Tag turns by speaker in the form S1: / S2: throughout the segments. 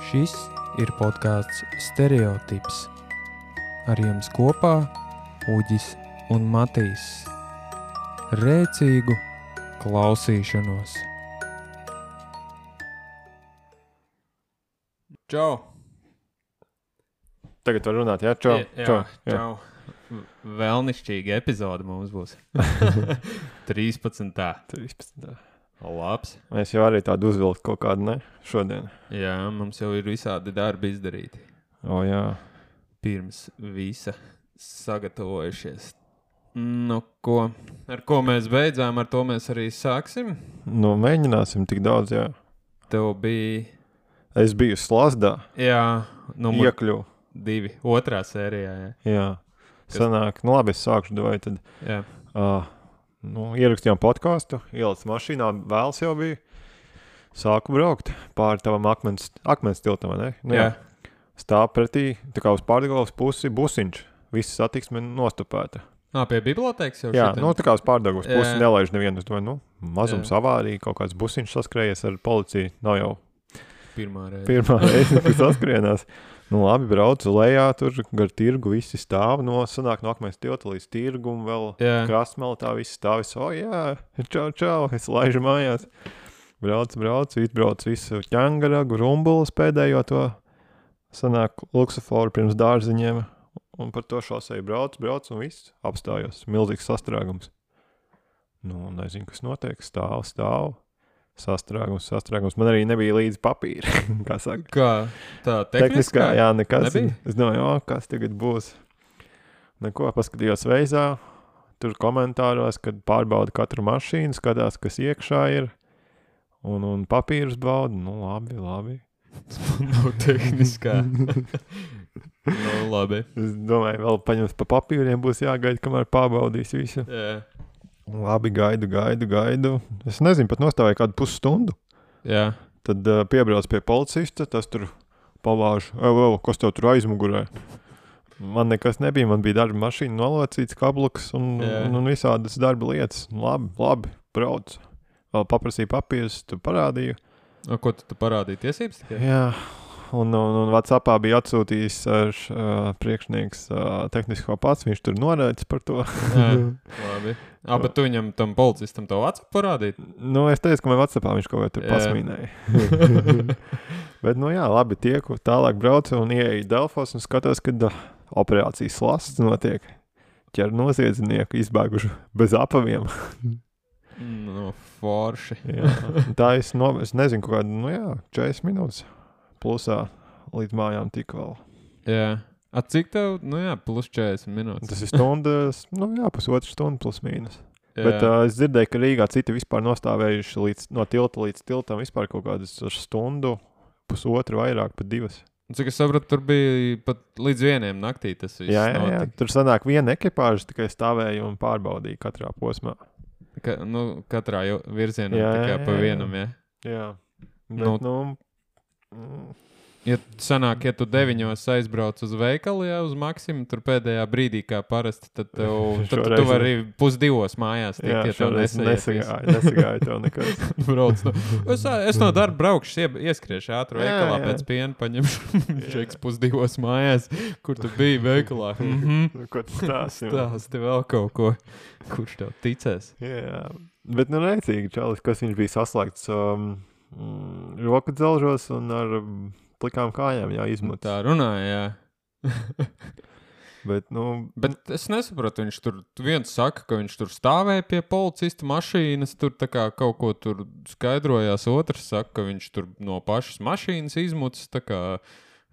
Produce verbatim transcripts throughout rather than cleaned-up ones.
S1: Šis ir podcasts Stereotips. Ar jums kopā Uģis un Matīs. Rēcīgu klausīšanos.
S2: Čau!
S3: Tagad var runāt, jā? Čau,
S2: jā,
S3: čau, jā.
S2: čau. Vēlnišķīga epizode mums būs. trīspadsmitā
S3: trīspadsmitā
S2: Labs.
S3: Mēs jau arī tādu uzvilkt kaut kādu, ne? Šodien.
S2: Jā, mums jau ir visādi darbi izdarīti.
S3: O, jā.
S2: Pirms visa sagatavojušies. Nu, ko? Ar ko mēs beidzām, ar to mēs arī sāksim.
S3: Nu, mēģināsim tik daudz, jā.
S2: Tev bija...
S3: Es biju Slazdā.
S2: Jā, numur
S3: Iekļuvu.
S2: divi. Otrā sērijā, jā.
S3: Jā. Sanāk, nu labi, es sākšu, vai tad...
S2: Jā.
S3: Uh, nu, ierakstījām podcastu, ielic mašīnā, vēls jau bija. Sāku braukt pāri tavam akmens, akmens tiltam, ne? Nu,
S2: jā.
S3: jā. Stāv pretī, tā kā uz pārdagavas pusi busiņš. Visa satiksme nostopēta.
S2: Ā, pie bibliotēkas jau
S3: Jā,
S2: šitien?
S3: nu tā kā uz pārdagavas pusi
S2: Jā.
S3: nelaiž nevienu. Es domāju, nu, mazums
S2: Jā.
S3: avārija, kaut kāds busiņš saskrējies ar policiju. Nav jau
S2: Pirmā reize.
S3: pirmā reize, kad saskrienās. Nu labi, braucu lejā, tur gar tirgu visi stāv, no sanāk no akmens tilta līdz tirgu un vēl
S2: Jā.
S3: krastmeli tā visi stāv. Es, o jā, čau, čau, es laižu mājās. Braucu, braucu, izbraucu visu ķangaragu, rumbulas pēdējo to, sanāk luksuforu pirms dārziņiem. Un par to šoseju braucu, braucu un viss apstājos. Milzīgs sastrēgums. Nu, nezinu, kas notiek. Stāv, stāv. Sastrēgums, sastrēgums. Man arī nebija līdz papīra, kā saka.
S2: Kā? Tā tehniskā?
S3: Tehniskā, jā, nekas.
S2: Nebija?
S3: Es domāju, o, kas tagad būs. Neko, paskatījos veizā, tur komentāros, kad pārbauda katru mašīnu, skatās, kas iekšā ir, un, un papīrus bauda. Nu, labi, labi.
S2: Nav tehniskā. Nu, labi.
S3: Es domāju, vēl paņems pa papīriem būs jāgaida, kamēr pārbaudīs visu.
S2: Jā.
S3: Labi, gaidu, gaidu, gaidu. Es nezinu, pat nostāvēju kādu pusstundu.
S2: Jā.
S3: Tad uh, piebrauc pie policista, tas tur pavāž, ev, ev, kas tev tur aizmugurē? Man nekas nebija, man bija darba mašīna nolocīts, kabluks un,
S2: Jā.
S3: un, un visādas darba lietas. Labi, labi, brauc. Vēl paprasīju papīrus, tu parādīju.
S2: O, ko tu, tu parādīji tiesības tikai?
S3: Jā, un, un, un WhatsAppā bija atsūtījis uh, š, uh, priekšnieks uh, tehnisko pats, viņš tur norēdz par to.
S2: Jā, labi. Ā, bet tu viņam tam policistam to WhatsApp parādīt?
S3: Nu, es teicu, ka man WhatsAppā viņš kaut ko tur
S2: Jā.
S3: pasmīnēja. Bet, nu jā, labi, tieku, tālāk braucu un ieeju Delfos un skatos, kad uh, operācijas slasts notiek. Ķer noziedznieku izbēguši bez apaviem.
S2: Nu, forši.
S3: Jā. Tā es, no, es nezinu, kaut kādu, nu jā, četrdesmit minūtes plusā līdz mājām tik vēl.
S2: Jā. A, cik tev? Nu jā, plus četrdesmit minūtes.
S3: Tas ir stundas, nu jā, pusotru stundu plus mīnus.
S2: Jā.
S3: Bet uh, es dzirdēju, ka Rīgā citi vispār nostāvējuši līdz, no tilta līdz tiltam vispār kaut kādas stundu, pusotru vairāk, pat divas.
S2: Cik es sapratu, tur bija pat līdz vieniem naktī tas viss
S3: Jā, jā, jā,
S2: notika.
S3: tur sanāk viena ekipāža tikai stāvēja un pārbaudīja katrā posmā.
S2: Ka, nu, katrā jau virzienā
S3: Jā,
S2: tikai
S3: jā,
S2: pa
S3: jā.
S2: vienam, jā.
S3: Jā, bet,
S2: Nu,
S3: nu, mm,
S2: Ja sanāk, ja tu deviņos aizbrauc uz veikalu, jā, uz Maksimu, tur pēdējā brīdī, kā parasti, tad, tev, tad
S3: Šoreiz
S2: tu vari pusdivos mājās tikt,
S3: jā,
S2: ja tev
S3: šoreiz
S2: nesaiet
S3: nesagāja, nesagāja tev nekas.
S2: Brauc no, es, es no darba braukšu, ie, ieskriešu ātru
S3: Jā,
S2: veikalā
S3: jā.
S2: pēc piena, paņemšu šeiks pusdivos mājās, kur tu biji veikalā. Mhm.
S3: Ko tu stāsti?
S2: Stāsti vēl kaut ko, kurš tev ticēs.
S3: Jā, bet nu rēcīgi, čalis, kas viņš bija saslēgts um, mm, roku dzelžos un ar um, plikām kājām, jā, izmuts.
S2: Tā runāja, jā.
S3: Bet, nu,
S2: Bet es nesapratu, viņš tur, viens saka, ka viņš tur stāvēja pie policista mašīnas, tur tā kā kaut ko tur skaidrojās, otrs saka, ka viņš tur no pašas mašīnas izmucis, tā kā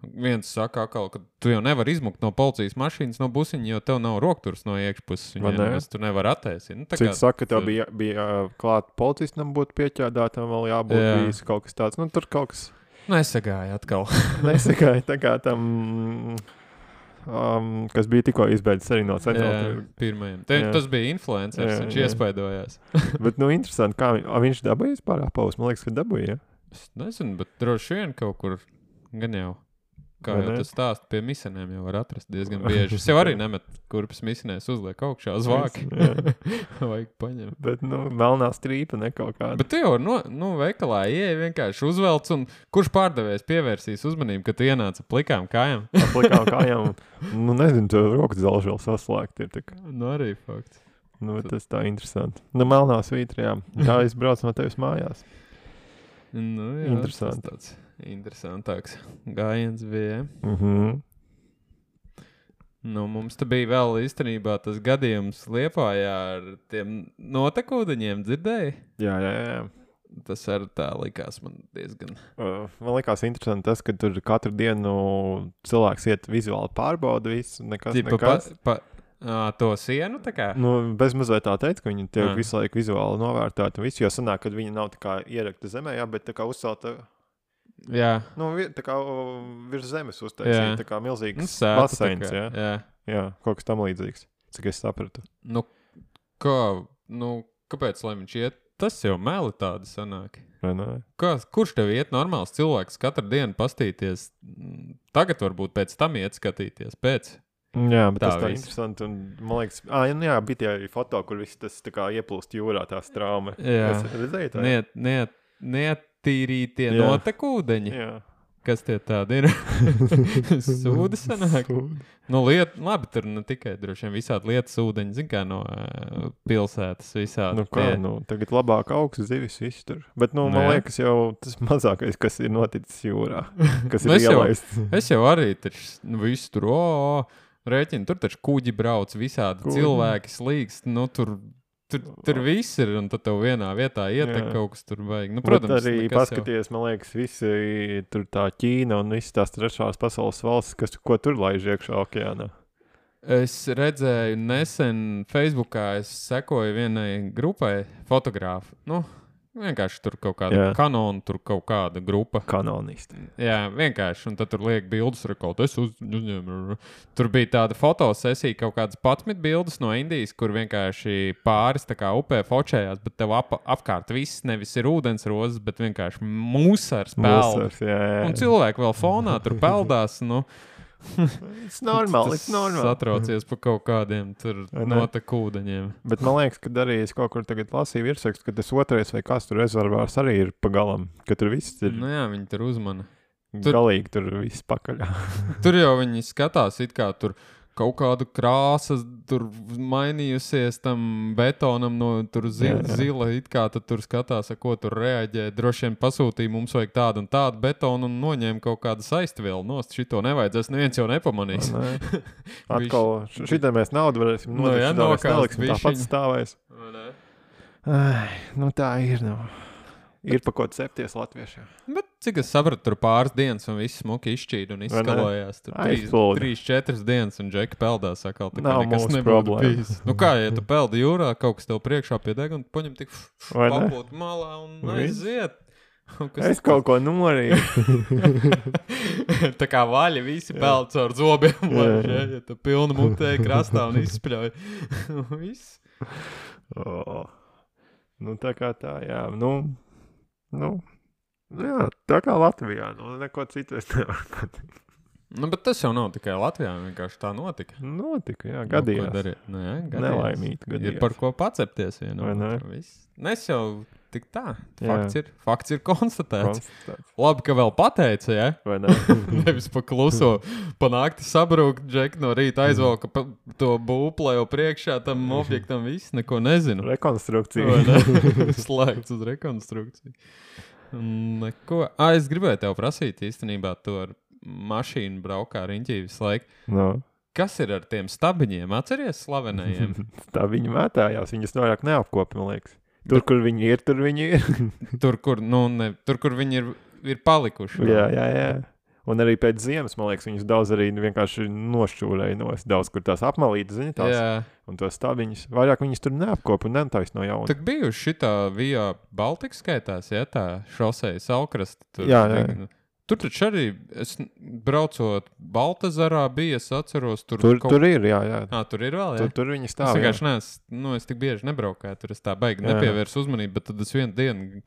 S2: viens saka atkal, ka tu jau nevar izmukt no policijas mašīnas, no busiņa, jo tev nav rokturs no iekšpuses,
S3: Vai ne?
S2: viņiem tu nevar attēsīt. Nu, tā
S3: cik
S2: kā
S3: saka, ka tev
S2: tu-
S3: bija, bija uh, klāt policistam būt pieķādātam, vēl jābūt
S2: Jā.
S3: bijis kaut kas tāds. Nu, tur kaut kas
S2: Nesagāja atkal.
S3: nesagāja tā kā tam, um, kas bija tikko izbeidzis arī no
S2: Jā,
S3: centrāla.
S2: pirmajam. Te,
S3: Jā.
S2: tas bija influencers,
S3: Jā,
S2: viņš
S3: jā.
S2: iespaidojās.
S3: Bet, nu, interesanti, kā viņ, a, viņš dabūja vispār apaus. Man liekas, ka dabūja, ja?
S2: Es nezinu, bet droši vien kaut kur gan jau. kā
S3: Vai
S2: jau
S3: ne?
S2: tas stāst, pie misenēm jau var atrast diezgan bieži. Es jau arī nemetu kurpes misenēs uzliek augšā uz vāki. Vajag paņemt.
S3: Bet, nu, melnā strīpa ne kaut kāda.
S2: Bet tu jau, no, nu, veikalā ieej vienkārši uzvelc, un kurš pārdevējs pievērsīs uzmanību, ka tu ienāca plikām kājām?
S3: Plikām kājām. Nu, nezinu, tu rokas zelži vēl saslēgt ir. Tā kā.
S2: Nu, arī fakts.
S3: Nu, tas tā interesanti. Nu, melnā svītra, jā. Tā es braucu no tevis mājās.
S2: Nu, jā,
S3: Interesanti.
S2: tas tāds interesantāks gājiens bija.
S3: Mhm.
S2: Nu, mums te bija vēl īstenībā tas gadījums Liepājā ar tiem notekūdeņiem, dzirdēji?
S3: Jā, jā, jā.
S2: Tas arī tā likās man diezgan.
S3: Uh, man likās interesanti tas, ka tur katru dienu cilvēks iet vizuāli pārbauda visu, nekas,
S2: Tipa,
S3: nekas.
S2: pa, pa, ā, to sienu tā kā?
S3: Nu, bez mazliet tā teica, ka viņi tiek
S2: Jā.
S3: visu laiku vizuāli novērtēti un visu, jo sanāk, ka viņi nav tā kā ierakta zemē, jā, bet tā kā uzcelta,
S2: Jā.
S3: nu, vi- tā kā uh, virs zemes uztaisīja,
S2: Jā.
S3: tā kā
S2: Nu,
S3: milzīgs
S2: sēta tā
S3: baseins,
S2: kā,
S3: jā.
S2: jā.
S3: Jā, kaut kas tam līdzīgs, cik es sapratu.
S2: Nu, kā, nu, kāpēc, lai viņš iet? Tas jau meli tādi sanāk.
S3: Vai ne?
S2: Kā, kurš tev iet normāls cilvēks katru dienu pastīties? Mm, Tagad varbūt pēc tam iet skatīties, pēc.
S3: Jā, bet
S2: Tā
S3: tas tā
S2: viss.
S3: interesanti, un man liekas, ā, nu jā, bija tie foto, kur viss tas tā kā ieplūst jūrā, tās trauma.
S2: Jā.
S3: Es redzēju tā?
S2: Niet, niet, neattīrītie
S3: Jā.
S2: notekūdeņi.
S3: Jā.
S2: Kas tie tādi ir? Sūdi sanāk. Nu, liet, labi, tur ne tikai droši vien visādi lietas ūdeņi, zin kā no uh, pilsētas visādi.
S3: Nu kā,
S2: tie.
S3: nu, tagad labāk augs zivis viss tur. Bet, nu,
S2: Nu
S3: man
S2: jā.
S3: liekas, jau tas mazākais, kas ir noticis jūrā, kas
S2: Nu,
S3: ir
S2: es jau-
S3: ielaists.
S2: Es jau arī taču, nu, visu tur, o, o, rēķinu, tur taču kuģi brauc, visādi
S3: Kuģi.
S2: cilvēki slīkst, nu, tur, tur, tur viss ir, un tad tev vienā vietā ietek
S3: Jā.
S2: kaut kas tur vajag. Nu,
S3: Protams,
S2: protams,
S3: arī
S2: nekas jau-
S3: paskaties, man liekas, visi tur tā Ķīna un visas tās trešās pasaules valstis, kas, ko tur laiž iekšā okeānā.
S2: Es redzēju nesen Facebookā, es sekoju vienai grupai fotogrāfu. Nu, vienkārši tur kaut kāda
S3: Jā.
S2: kanona, tur kaut kāda grupa.
S3: Kanonisti.
S2: Jā, vienkārši, un tad tur liek bildes, rekord, es uz, uzņēmu. Tur bija tāda fotosesija, kaut kādas patmit bildes no Indijas, kur vienkārši pāris tā kā upē fočējās, bet tev ap, apkārt viss nevis ir ūdens rozes, bet vienkārši musars peld.
S3: Mūsars, jā, jā.
S2: Un cilvēki vēl fonā tur peldās, nu.
S3: It's normāli, it's normāli.
S2: Satraucies par kaut kādiem tur
S3: Vai ne?
S2: notekūdeņiem.
S3: Bet man liekas, ka arī es kaut kur tagad lasīju virsrakstu, ka tas otrais vai kas tur rezervārs arī ir pagalam, ka tur viss ir
S2: Nu jā, viņi tur uzmana. tur-
S3: galīgi, tur viss pakaļā.
S2: Tur jau viņi skatās, it kā tur kaut kāda krāsa tur mainījusies tam betonam no tur zi
S3: Jā, jā.
S2: zila, it kā tad tur skatās, ar ko tur reaģē. Droši vien pasūtīja, mums vajag tādu un tādu betonu un noņēma kaut kādu saistvielu nost. Šito nevajadzēs, neviens jau nepamanīs.
S3: Vai ne? Atkal, šitā mēs naudu varēsim
S2: Nu
S3: nodot,
S2: jā,
S3: šitā mēs
S2: nokāst
S3: neliksim, tāpat
S2: bišķiņu.
S3: stāvēs. Ai, nu tā ir, nu. Ir pa ko cepties latviešiem.
S2: Bet cik es sapratu, tur pāris dienas un viss smuki izšķīda un
S3: Vai ne?
S2: izskalojās. Tur trīs,
S3: Aizplūda.
S2: trīs, četras dienas un džeki peldās atkal. Tā kā
S3: Nav
S2: nekas
S3: mūsu
S2: nebūtu
S3: problēma.
S2: bijis. Nu kā, ja tu peldi jūrā, kaut kas tev priekšā pie deg un paņem tik
S3: Vai ne?
S2: papūt malā un
S3: Viss.
S2: aiziet. Un kas-
S3: Es kaut ko norīju.
S2: Tā kā vaļi visi peld caur zobiem.
S3: Jā,
S2: Jā,
S3: jā.
S2: ja tu pilnu mutē krastā un izspļauj. Viss.
S3: Oh. Nu tā kā tā, jā. Nu, nu, jā, tā kā Latvijā. Nu, neko citu es nevaru pateikt.
S2: Nu, bet tas jau nav tikai Latvijā, vienkārši tā notika.
S3: Notika, jā,
S2: Nu,
S3: gadījās.
S2: ko darīt? Nu, jā, gadījās.
S3: Nelaimīgi gadījās.
S2: Ir par ko pacepties vienam.
S3: Vai ne?
S2: otram, viss. Nes jau tik tā.
S3: Jā.
S2: Fakts ir, fakts ir konstatēts.
S3: Konstatēts.
S2: Labi, ka vēl pateica, ja?
S3: Vai ne?
S2: Nevis pa kluso, pa nakti sabrūk, Džek no rīta aizvelka pa to būplēju priekšā tam objektam, viss neko nezinu.
S3: Rekonstrukcija.
S2: Vai ne? Slēgts uz rekonstrukciju. Neko. Ā, es gribēju tev prasīt īstenībā to ar mašīnu braukā riņķī visu laiku.
S3: No.
S2: Kas ir ar tiem stabiņiem? Atceries slavenajiem?
S3: Tā viņi mētājās, viņas vairāk neapkopi, man liekas. Tur, kur viņi ir, tur viņi ir.
S2: Tur, kur, nu, ne, tur, kur viņi ir, ir palikuši. vēl.
S3: jā, jā, jā. Un arī pēc ziemas, man liekas, viņas daudz arī vienkārši nošķūrēja no es daudz, kur tās apmalītas, zini, tās.
S2: Jā.
S3: Un tos stabiņus, vairāk viņas tur neapkopi un netaisa no jauna.
S2: Tad bijuši šitā Via Baltika skaitās, ja tā šoseja Salkrasta. Tur,
S3: Jā, jā, jā.
S2: Tur taču arī, es braucot Baltazarā bija, es atceros, tur
S3: Tur,
S2: kaut...
S3: tur ir, jā, jā.
S2: Ā, tur ir vēl, jā?
S3: Tur, tur viņi
S2: Es
S3: stāv. jā.
S2: vienkārši neesmu, nu, es tik bieži nebraukāju, tur es tā baigi
S3: Jā.
S2: nepievērsu uzmanību, bet tad es vienu dienu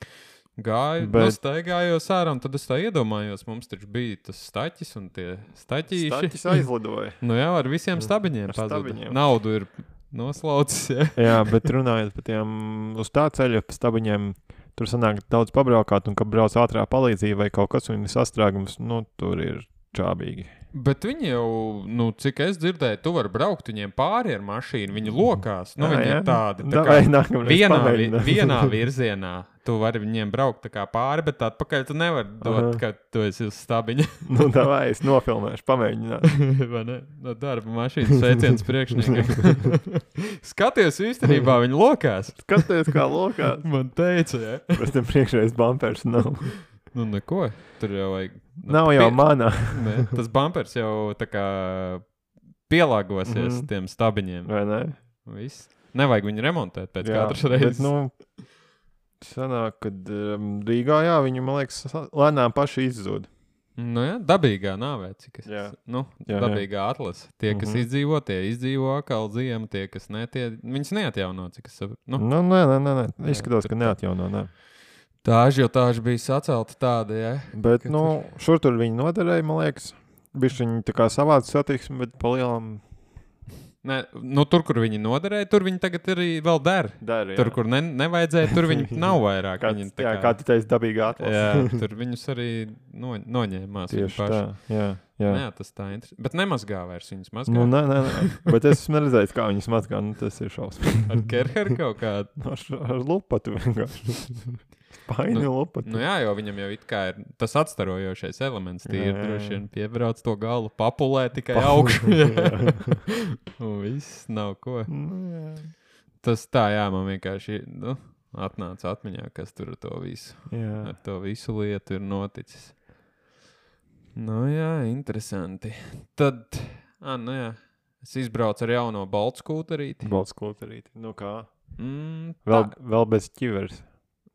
S2: Gāju, bet... nu, staigājos ārā, un tad es tā iedomājos, mums taču bija tas staķis un tie staķīši.
S3: Staķis aizlidoja.
S2: Nu jā, ar visiem stabiņiem pazuda. Naudu ir noslaucis, jā.
S3: Jā, bet runājot par tiem uz tā ceļa stabiņiem, tur sanāk daudz pabraukāt, un kad brauc ātrā palīdzība vai kaut kas, un ir sastrēgums, nu, tur ir čābīgi.
S2: Bet viņi jau, nu, cik es dzirdēju, tu vari braukt viņiem pāri ar mašīnu, viņi lokās, nu, jā, viņi jā. ir tādi, tā kā
S3: Davai,
S2: vienā, vi, vienā virzienā tu vari viņiem braukt tā kā pāri, bet atpakaļ tu nevari dot, Aha. ka tu esi uz stabiņa.
S3: Nu, davai, es nofilmēšu, pamēģināt.
S2: Vai ne? No darba mašīnas sveiciens priekšniekam. Skaties, īstenībā viņi lokās.
S3: Skaties, kā lokās.
S2: Man teica, jā.
S3: Bet tam priekšreiz bumpers nav.
S2: Nu, neko. Tur jau vajag... Nu,
S3: nav jau pie... manā.
S2: Ne, tas bumpers jau tā kā pielāgosies mm. tiem stabiņiem.
S3: Vai ne?
S2: Viss. Nevajag viņu remontēt pēc
S3: jā,
S2: katras reizes.
S3: Bet, nu, sanāk, kad um, Rīgā, jā, viņi, man liekas, lēnām paši izzūd.
S2: Nu jā, dabīgā nāvē, cik es...
S3: Jā.
S2: Nu,
S3: jā,
S2: dabīgā jā. Atlase. Tie, kas mm-hmm. izdzīvo, tie izdzīvo atkal ziemu, tie, kas ne, tie... Viņas neatjauno, cik es saprotu. Nu,
S3: nu, nē, nē, nē, nē. Izskatās, ka neatjauno, nē.
S2: Tāži jau tāži bija sacelta tāda, jā.
S3: Bet, ka nu, tur... šur tur viņi noderēja, man liekas. Bišķi viņi tā kā savāds satiksmi, bet pa lielam...
S2: Nē, nu tur, kur viņi noderēja, tur viņi tagad arī vēl der.
S3: Der, jā.
S2: Tur, kur ne, nevajadzēja, tur viņi nav vairāk.
S3: kā,
S2: viņi,
S3: tā kā,
S2: kā,
S3: kā tu teici, dabīgā atlase.
S2: Jā, tur viņus arī no, noņēmās.
S3: Tieši tā, jā. Jā.
S2: Jā, tas tā interesanti. Bet nemazgā vairs viņus mazgā.
S3: Nu, nē, nē, nē. Bet es esmu neredzējis, kā viņus mazgā. Nu, tas ir šausmīgi.
S2: Ar kerheru kaut kādu?
S3: ar, ar lupatu vienkārši. Paini
S2: nu,
S3: lupatu.
S2: Nu jā, jo viņam jau it kā ir tas atstarojošais elements. Tie ir droši vien piebrauc to galu, papulē tikai augšu. Un viss nav ko.
S3: Nu, jā.
S2: Tas tā, jā, man vienkārši nu, atnāca atmiņā, kas tur ar to visu.
S3: Jā.
S2: Ar to visu lietu ir noticis. Nu jā, interesanti. Tad, ah, nu jā, es izbraucu ar jauno baltu skūterīti.
S3: Baltu skūterīti. Nu kā?
S2: Mm,
S3: vēl, vēl bez ķiveres.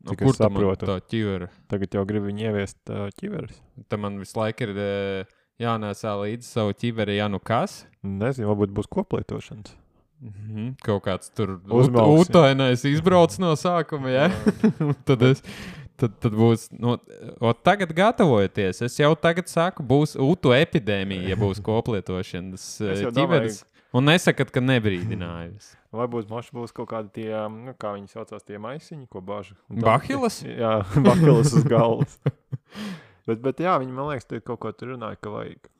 S2: No, kur tā man tā ķivera?
S3: Tagad jau gribu viņu ieviest uh, ķiveres.
S2: Tā man visu laiku ir uh, jānēsā līdzi savu ķiveri, ja nu kas?
S3: Nezinu, varbūt būs koplietošanas.
S2: Mm-hmm. Kaut kāds tur
S3: Uzmauks,
S2: ūtainais izbrauc no sākuma, ja? tad, es, tad, tad būs, nu, o, tagad gatavojoties, es jau tagad saku, būs ūtu epidēmija, ja būs koplietošanas ķiveres. Un nesakat, ka nebrīdinājums.
S3: Vai būs, moši būs kaut kādi tie, nu, kā viņi saucās, tie maisiņi, ko bāža.
S2: Bahilas?
S3: Jā, bahilas uz galvas. bet, bet jā, viņi, man liekas, kaut ko tur runāja, ka vajag.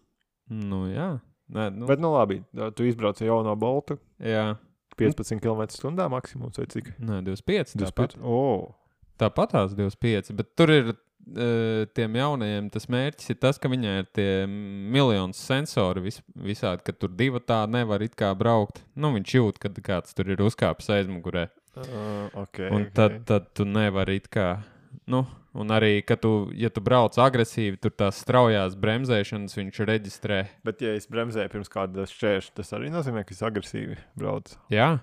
S2: Nu, jā. Nē, nu.
S3: Bet, nu, labi, tu izbrauc jau no Boltu.
S2: Jā.
S3: piecpadsmit kilometru stundā maksimums, vai cik?
S2: Nē, divdesmit pieci.
S3: divdesmit pieci. Oh.
S2: Tāpatās divdesmit pieci, bet tur ir uh, tiem jaunajiem tas mērķis ir tas, ka viņai ir tie miljonus sensori vis, visādi, ka tur divi tā nevar it kā braukt. Nu, viņš jūt, kad kāds tur ir uzkāpis aizmugurē.
S3: Uh, okay,
S2: un
S3: okay.
S2: tad, tad tu nevari it kā, nu, un arī, ka tu, ja tu brauc agresīvi, tur tās straujās bremzēšanas viņš reģistrē.
S3: Bet, ja es bremzēju pirms kāda šķērša, tas arī nozīmē, ka es agresīvi braucu.
S2: Jā.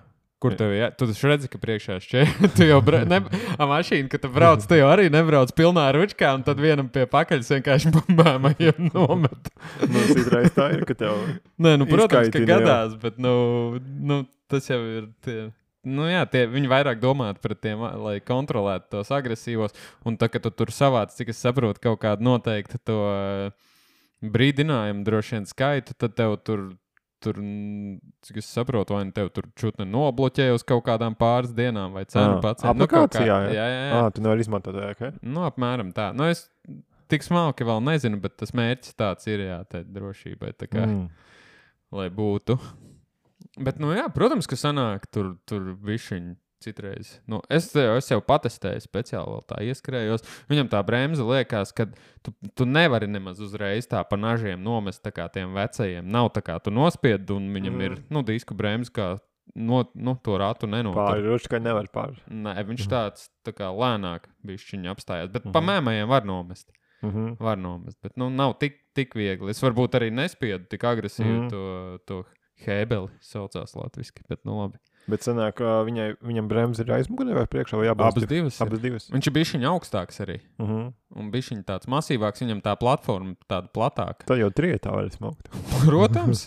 S2: Kur tev jā? Tu redzi, ka priekšā šķēr. Tu jau bra... ne... A mašīna, kad tu brauc, tu jau arī nebrauc pilnā ručkā, un tad vienam pie pakaļas vienkārši bambēmajiem nomet.
S3: Nu, citreiz tā ir, ka tev
S2: Nē, nu, protams, ka gadās,
S3: jau.
S2: Bet, nu, nu, tas jau ir tie... Nu jā, tie, viņi vairāk domāt par tiem, lai kontrolētu tos agresīvos, un tā, ka tu tur savāc, cik es saprotu, kaut kādu noteikti to brīdinājumu droši vien skaitu, tad tev tur Tur, cik es saprotu, vai tev tur čutni nobloķēja uz kaut kādām pāris dienām, vai cenu pats.
S3: Aplikācijā,
S2: nu, kā, jā, jā, jā.
S3: À, tu nevari izmantot, jā, ok?
S2: Nu, apmēram tā. Nu, es tik smalki vēl nezinu, bet tas mērķis tāds ir, jā, tā drošībai, tā kā, mm. lai būtu. Bet, nu jā, protams, ka sanāk tur, tur bišķiņi citreiz. Nu, es, es jau patestēju speciāli vēl tā ieskrējos. Viņam tā bremze liekas, ka tu, tu nevari nemaz uzreiz tā pa nažiem nomest tā kā tiem vecajiem. Nav tā kā tu nospied un viņam mm. ir, nu, disku bremze kā no, nu, to ratu nenotur.
S3: Pāri, ručkai nevar pāri.
S2: Nē, viņš tāds tā kā lēnāk bišķiņi apstājās. Bet mm-hmm. pa mēmajiem var nomest. Mm-hmm. Var nomest, bet, nu, nav tik, tik viegli. Es varbūt arī nespiedu tik agresīvi mm-hmm. to, to hēbeli saucās latviski, bet, nu, labi.
S3: Bet sanāk, viņai, viņam bremze ir aizmugurē vai priekšā vai jābalst?
S2: Abas divas.
S3: Abas divas.
S2: Viņš ir bišķiņ augstāks arī. Uh-huh. Un bišķiņ tāds masīvāks, viņam tā platforma tāda platāka.
S3: Tā jau trietā var smaukt.
S2: Protams.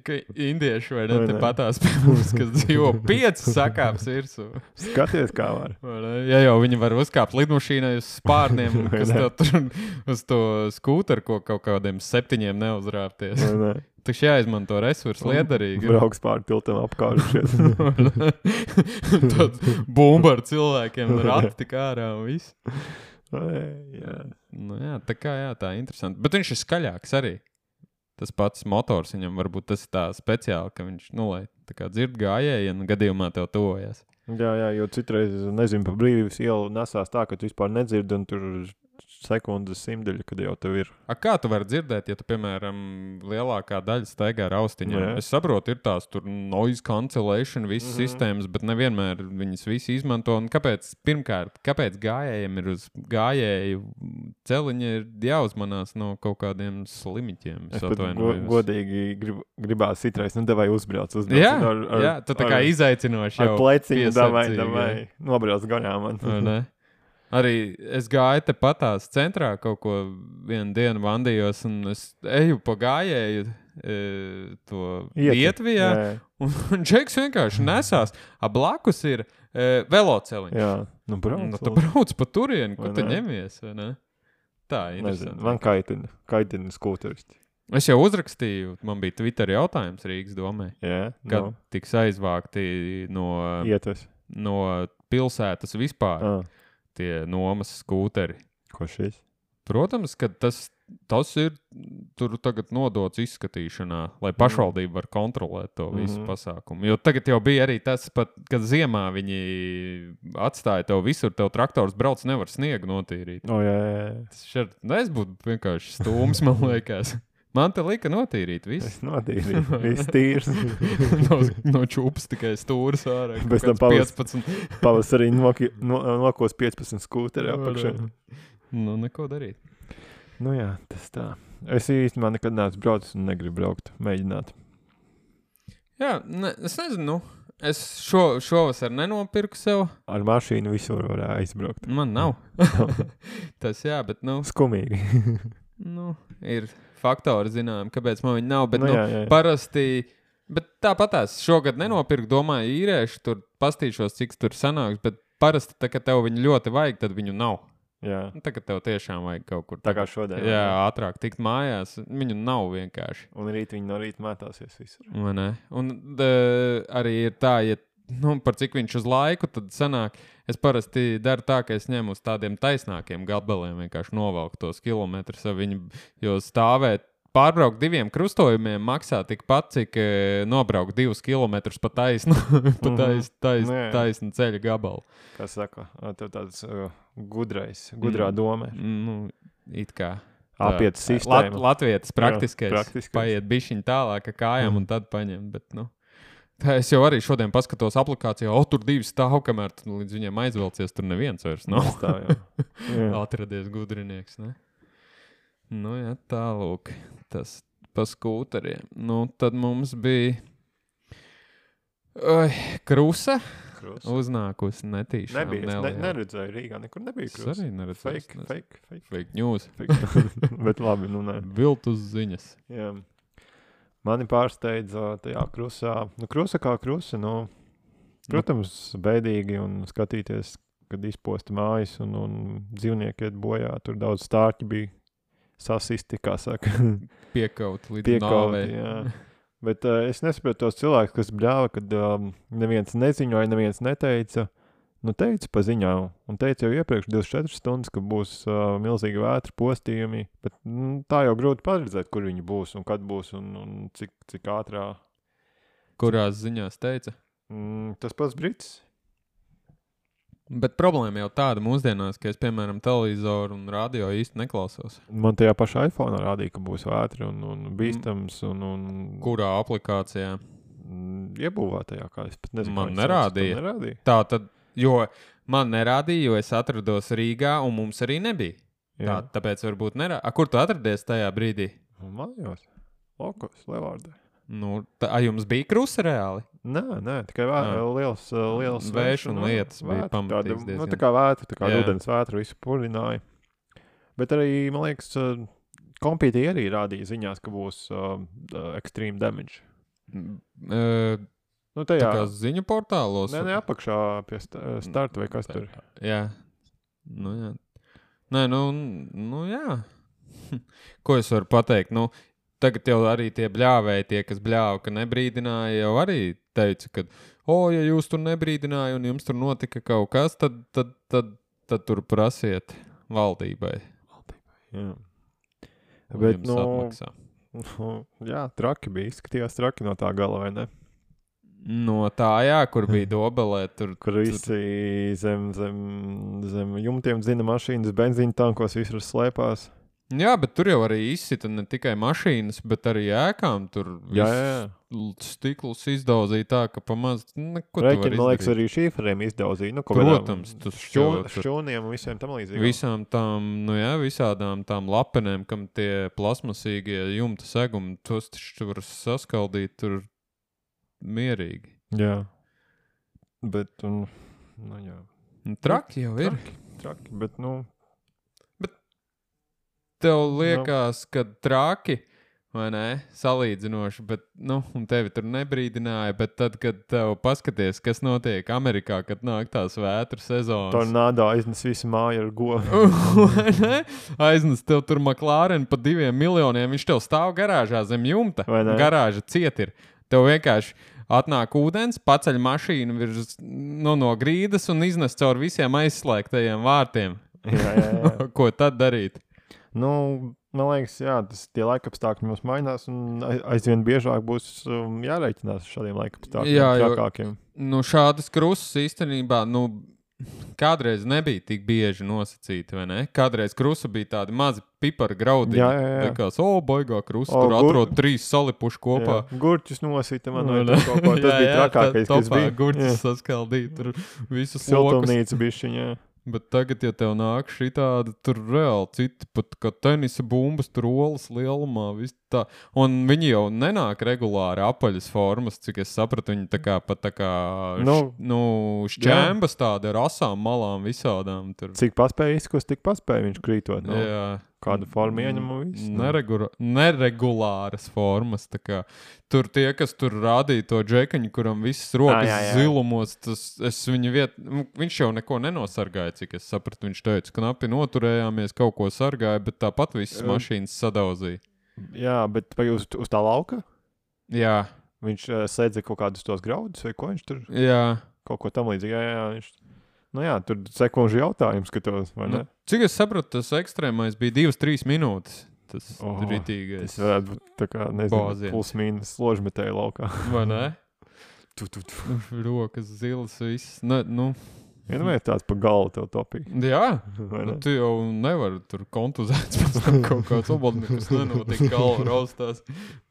S2: ka indieši vai ne,
S3: Vai
S2: te
S3: ne?
S2: patās pie mums, kas dzīvo pieci sakāps virsū.
S3: Skaties, kā var.
S2: Vai ne? Ja jau viņi var uzkāpt lidmašīnai uz spārniem,
S3: Vai
S2: kas
S3: ne?
S2: tev tur uz to skūteru, ko kaut kādiem septiņiem neuzrāpties.
S3: Vai ne?
S2: Taču jāizmanto resursi liederīgi.
S3: Brauks pār tiltam apkārušies.
S2: Tad bumba ar cilvēkiem, rati tik ārā un viss.
S3: Jā.
S2: Nu jā, tā kā jā, tā interesanti. Bet viņš ir skaļāks arī. Tas pats motors viņam varbūt tas ir tā speciāli, ka viņš, nu, lai tā kā dzird gājējienu, gadījumā tev tuvojas.
S3: jā, jā, jo citreiz, nezinu, pa brīvības ielu nesās tā, ka tu vispār nedzirdi un tur sekundes simdeļa, kad jau tev ir.
S2: A, kā tu vari dzirdēt, ja tu, piemēram, lielākā daļa staigā ar austiņām?
S3: Jā.
S2: Es saprotu, ir tās tur noise cancellation, visas
S3: Mhm.
S2: sistēmas, bet nevienmēr viņas visi izmanto. Un kāpēc, pirmkārt, kāpēc gājējiem ir uz gājēju celiņa ir jāuzmanās no kaut kādiem slimiķiem?
S3: Es
S2: Es
S3: pat go,
S2: atvainojos.
S3: godīgi grib, gribās citreiz, nu, devai uzbrauc, uzbrauc.
S2: Jā,
S3: ar, ar,
S2: jā, tu tā kā
S3: ar,
S2: izaicinoši
S3: ar
S2: jau
S3: pleciņu, davai,
S2: piesardzīgi,
S3: davai, nobrauc gaļā man.
S2: vai ne? Arī es gāju te patās centrā kaut ko vienu dienu vandījos, un es eju pa gājēju e, to
S3: Ieti.
S2: Vietvijā, un, un Džeks vienkārši nesās. A blakus ir e, veloceliņš.
S3: Jā, nu brauc.
S2: Nu, tu
S3: lūdzu.
S2: brauc pa turieni, ko
S3: Vai
S2: tu
S3: ne?
S2: ņemies, vai ne? Tā ir
S3: Nezinu,
S2: interesanti.
S3: man kaitina, kaitina skūteristi.
S2: Es jau uzrakstīju, man bija Twitter jautājums Rīgas domē,
S3: Jā,
S2: kad
S3: no,
S2: tiks aizvākti no,
S3: ietas.
S2: no pilsētas vispār
S3: Ah,
S2: tie nomas skūteri.
S3: ko šis?
S2: Protams, ka tas, tas ir tur tagad nodots izskatīšanā, lai pašvaldība var kontrolēt to visu
S3: Mhm.
S2: pasākumu. Jo tagad jau bija arī tas, pat, kad ziemā viņi atstāja tev visur, tev traktors brauc, nevar sniegu notīrīt.
S3: O, jā, jā, jā.
S2: Tas šeit, nu, es būtu vienkārši stūms, man liekas. Man te lika notīrīt visu.
S3: Es notīrīju, viss tīrs.
S2: no, no čūpas tikai stūris ārā.
S3: Pēc tam
S2: kaut kāds
S3: pavas-
S2: piecpadsmit.
S3: Pavasarī noki, no, nokos piecpadsmit skūteri apakšā.
S2: Nu, neko darīt.
S3: Nu jā, tas tā. Es īstenībā nekad neesmu braucis un negribu braukt, mēģināt.
S2: Jā, ne, es nezinu, nu, es šo, šovasar nenopirku sev.
S3: Ar mašīnu visur var aizbraukt.
S2: Man nav. Tas jā, bet, nu,
S3: Skumīgi.
S2: nu ir faktori, zinām, kāpēc man viņi nav. Bet,
S3: Nu
S2: nu,
S3: jā, jā.
S2: parasti, bet tāpatās šogad nenopirku, domāju, īrēšu, tur pastīšos, cik tur sanāks, bet parasti, tā, kad tev viņu ļoti vajag, tad viņu nav.
S3: Jā,
S2: Nu, tā, kad tev tiešām vajag kaut kur
S3: tā kā šodien.
S2: jā, ātrāk tikt mājās, viņu nav vienkārši.
S3: Un rīt viņi no rīta mētāsies visur.
S2: Vai ne? Un d, arī ir tā, ja nu, par cik viņš uz laiku, tad sanāk, es parasti daru tā, ka es ņemu uz tādiem taisnākiem gabaliem, vienkārši novelku tos kilometrus, ar viņu, jo stāvēt, pārbraukt diviem krustojumiem maksā tikpat, cik e, nobraukt divus kilometrus pa taisnu, pa tais, tais,
S3: Nu, jā.
S2: taisnu ceļa gabalu.
S3: Kā saka, tev tāds uh, gudrais, gudrā
S2: Mm.
S3: doma.
S2: Nu, it kā.
S3: Apiet
S2: Lat,
S3: sistēmu.
S2: Latvietis praktiskais,
S3: praktiskais.
S2: paiet bišķiņ tālāk ar kājām
S3: Mm.
S2: un tad paņem, bet, nu. Tā es jau arī šodien paskatos aplikācijā, o, tur divi stāv, kamēr tu līdz viņiem aizvelcies, tur neviens vairs nav.
S3: Tā, jā. Jā.
S2: Atradies gudrinieks, ne? Nu, jā, tālūk, tas pa skūteriem. Nu, tad mums bija Oi, krusa
S3: Krus.
S2: uznākusi netīšām.
S3: Nebija, es ne,
S2: neliela.
S3: neredzēju Rīgā, nekur nebija
S2: Es
S3: krus.
S2: arī neredzēju.
S3: Fake, fake, fake.
S2: Fake news.
S3: fake. Bet labi, nu nē.
S2: Viltus ziņas.
S3: Jā. Mani pārsteidza tajā krusā. Nu, krusa kā krusa, nu, protams, bēdīgi un skatīties, kad izposta mājas un, un dzīvnieki iet bojā. Tur daudz stārķi bija sasisti, kā saka,
S2: Piekaut līdz
S3: piekauti.
S2: nāvei.
S3: Jā. Bet uh, es nesaprotu tos cilvēkus, kas bļāva, kad um, neviens neziņoja, neviens neteica. Nu, teica pa ziņām, un teica jau iepriekš divdesmit četras stundas, ka būs uh, milzīgi vētra postījumi, bet mm, tā jau grūti paredzēt, kur viņi būs un kad būs un, un cik, cik ātrā.
S2: Kurās ziņās teica?
S3: Mm, tas pats Brits.
S2: Bet problēma jau tāda mūsdienās, ka es, piemēram, televizoru un radio īsti neklausos.
S3: Man tajā pašā iPhone rādīja, ka būs vētri un, un bīstams un, un
S2: Kurā aplikācijā?
S3: mm, iebūvētajā, kā es pat nezinu.
S2: Man
S3: kā es
S2: nerādīja.
S3: sauc, tev nerādīja.
S2: Tā tad, jo man nerādīja, jo es atrados Rīgā un mums arī nebija. Tā,
S3: Jā.
S2: tāpēc varbūt nerādīja. A, kur tu atradies tajā brīdī?
S3: Un mājās. Lokos, Levārdē.
S2: Nu, tā, a, jums bija krusa reāli?
S3: Nē, nē, tikai vē,
S2: Ah.
S3: liels, uh, liels
S2: Vējš un
S3: nu,
S2: lietas bija
S3: vētra,
S2: pamatīgs
S3: tāda, Nu,
S2: diezgan.
S3: tā kā vētra, tā kā
S2: Jā.
S3: ūdens vētra visu purināja. Bet arī, man liekas, uh, kompītī arī rādīja ziņās, ka būs uh, uh, extreme damage.
S2: Uh,
S3: Nu,
S2: tā
S3: tajā,
S2: kā ziņu portālos.
S3: nē, ne apakšā pie sta- starta vai kas tur.
S2: Jā. Nu, jā. Nē, nu, nu jā. Ko es varu pateikt? Nu, tagad jau arī tie bļāvēji, tie, kas bļāva, ka nebrīdināja, jau arī teica, ka, o, ja jūs tur nebrīdināja un jums tur notika kaut kas, tad, tad, tad, tad tur prasiet valdībai.
S3: Jā.
S2: Un
S3: Bet,
S2: jums
S3: nu,
S2: atmaksā.
S3: nu, jā, traki bija, izskatījās traki no tā gala, vai ne?
S2: No tā, jā, kur bija Dobelē, tur,
S3: Kur visi zem, zem, zem jumtiem zina mašīnas, benzīna tankos visur slēpās.
S2: jā, bet tur jau arī izsita ne tikai mašīnas, bet arī ēkām. Tur
S3: Jā, jā, jā.
S2: viss stiklus izdauzīja tā, ka pamaz, neko tu vari
S3: Rēķini, man liekas,
S2: izdarīt.
S3: arī šīferiem izdauzīja. Nu,
S2: Protams, tas
S3: šķū,
S2: jau tur-
S3: šķūniem un visiem tam līdzīgi.
S2: Visām tām, nu jā, visādām tām lapenēm, kam tie plasmasīgie jumta segumi, tos taču var saskaldīt tur mierīgi.
S3: Jā. Bet, un, nu jā,
S2: Nu, traki jau ir.
S3: traki, traki, bet, nu,
S2: Tev liekas, ka traki, vai ne, salīdzinoši, bet, nu, un tevi tur nebrīdināja, bet tad, kad tev paskaties, kas notiek Amerikā, kad nāk tās vētru sezonas.
S3: tornādā aiznes visu māju ar govu.
S2: Vai ne? Aiznes tev tur McLaren pa diviem miljoniem, viņš tev stāv garāžā zem jumta.
S3: Vai ne?
S2: Garāža ciet ir. Tev vienkārši atnāk ūdens, paceļ mašīnu virs, nu, no grīdas un iznes caur visiem aizslēgtajiem vārtiem.
S3: Jā, jā, jā.
S2: Ko tad darīt?
S3: Nu, man liekas, jā, tas tie laikapstākļi mums mainās, un ai- aizvien biežāk būs um, jārēķinās ar šādiem laikapstākļiem,
S2: Jā, jo-
S3: trakākiem.
S2: Nu, šādas krustas īstenībā, nu, kādreiz nebija tik bieži nosacīti, vai ne? Kādreiz krusta bija tādi mazi pipara graudi.
S3: Jā, jā, jā.
S2: Likās, o, baigā krusta,
S3: O,
S2: tur
S3: gur-
S2: atrod trīs salipuši kopā.
S3: Jā, gurķus nosita man, vai
S2: Nu, ne?
S3: tur kaut ko, tas
S2: Jā,
S3: bija
S2: jā,
S3: trakākais,
S2: tā
S3: kas
S2: topā
S3: bija.
S2: Gurķis
S3: Jā.
S2: saskaldīt, tur visus lokus.
S3: Siltumnīca bišķiņā.
S2: Bet tagad, ja tev nāk šī tāda, tur reāli citi, pat kā tenisa bumbas, tur olas lielumā, viss tā. Un viņi jau nenāk regulāri apaļas formas, cik es sapratu, viņi tā kā pat tā kā,
S3: Nu,
S2: š, nu, šķēmbas tāda ar asām malām visādām. Tur.
S3: Cik paspēja izkust, tik paspēja viņš krītot. Nu,
S2: Jā.
S3: kādu formu ieņem un viss. nu.
S2: Neregura, neregulāras formas. tā kā. Tur tie, kas tur rādīja to džekaņu, kuram visas rokas
S3: jā, jā.
S2: zilumos, tas es viņa viet, nu, viņš jau neko nenosargāja, cik es sapratu. Viņš teica, ka knapi noturējāmies, kaut ko sargāja, bet tāpat visas
S3: Um.
S2: mašīnas sadauzīja.
S3: Jā, bet vai uz, uz tā lauka?
S2: Jā,
S3: Viņš uh, sēdza kaut kādus tos graudus, vai ko viņš tur
S2: jā.
S3: kaut ko tam līdzīgi. Jā, jā, jā, viņš... Nu jā, tur sekundžu jautājums, ka tos, vai ne?
S2: Nu, cik es sapratu, tas ekstrēmais bija divas, trīs minūtes. Tas
S3: Oh,
S2: oh, ritīgais.
S3: Tas varētu būt tā kā, nezinu,
S2: Bāziens.
S3: plus mīnus ložmetēja laukā.
S2: Vai ne?
S3: Tu, tu, tu.
S2: Nu, rokas zilas, viss. Ne, nu,
S3: Vienmēr tāds pa galvu tev topīja.
S2: jā.
S3: vai
S2: Nu,
S3: ne?
S2: tu jau nevari tur kontuzēts pēc tam kaut kāds obodnieks nenotiek, galva raustās,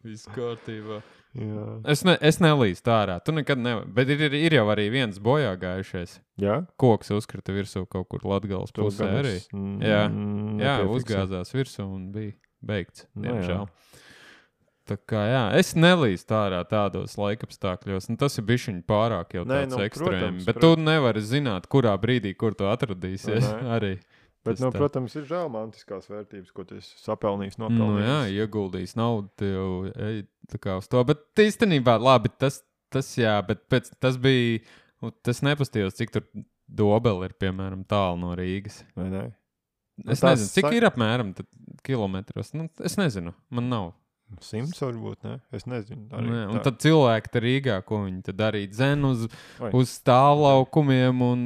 S2: viss kārtībā.
S3: Jā.
S2: Es, ne, es nelīstu ārā, tu nekad nevari, bet ir, ir jau arī viens bojā gājušais.
S3: Jā?
S2: Koks uzkrita virsū kaut kur Latgales
S3: Tu
S2: pusē
S3: gan
S2: arī.
S3: es, mm,
S2: Jā.
S3: mm,
S2: Jā,
S3: nepiefiksēju.
S2: uzgāzās virsū un bija beigts,
S3: Nu,
S2: diemžēl. Tā kā jā, es nelīstu ārā tādos laikapstākļos, nu tas ir bišķiņ pārāk jau
S3: Nē,
S2: tāds
S3: nu,
S2: ekstrēms,
S3: protams,
S2: bet tu nevari zināt, kurā brīdī, kur tu atradīsies
S3: Vai ne?
S2: arī.
S3: Bet,
S2: Tas
S3: nu,
S2: tā.
S3: protams, ir žēl mantiskās vērtības, ko tu esi sapelnījis,
S2: Nu,
S3: nopelnījis.
S2: jā, ieguldījis naudu, tu jau ej tā kā uz to. Bet īstenībā, labi, tas, tas jā, bet pēc, tas bija, nu, tas nepastījos, cik tur Dobele ir, piemēram, tālu no Rīgas.
S3: Vai ne?
S2: Es
S3: tās
S2: nezinu, cik
S3: sa-
S2: ir apmēram tad kilometros. Nu, es nezinu, man nav.
S3: Simts varbūt, ne? Es nezinu. Arī
S2: Nē, un
S3: tā.
S2: tad cilvēki te Rīgā, ko viņi tad darīja, dzen uz,
S3: Oi.
S2: uz stāvlaukumiem un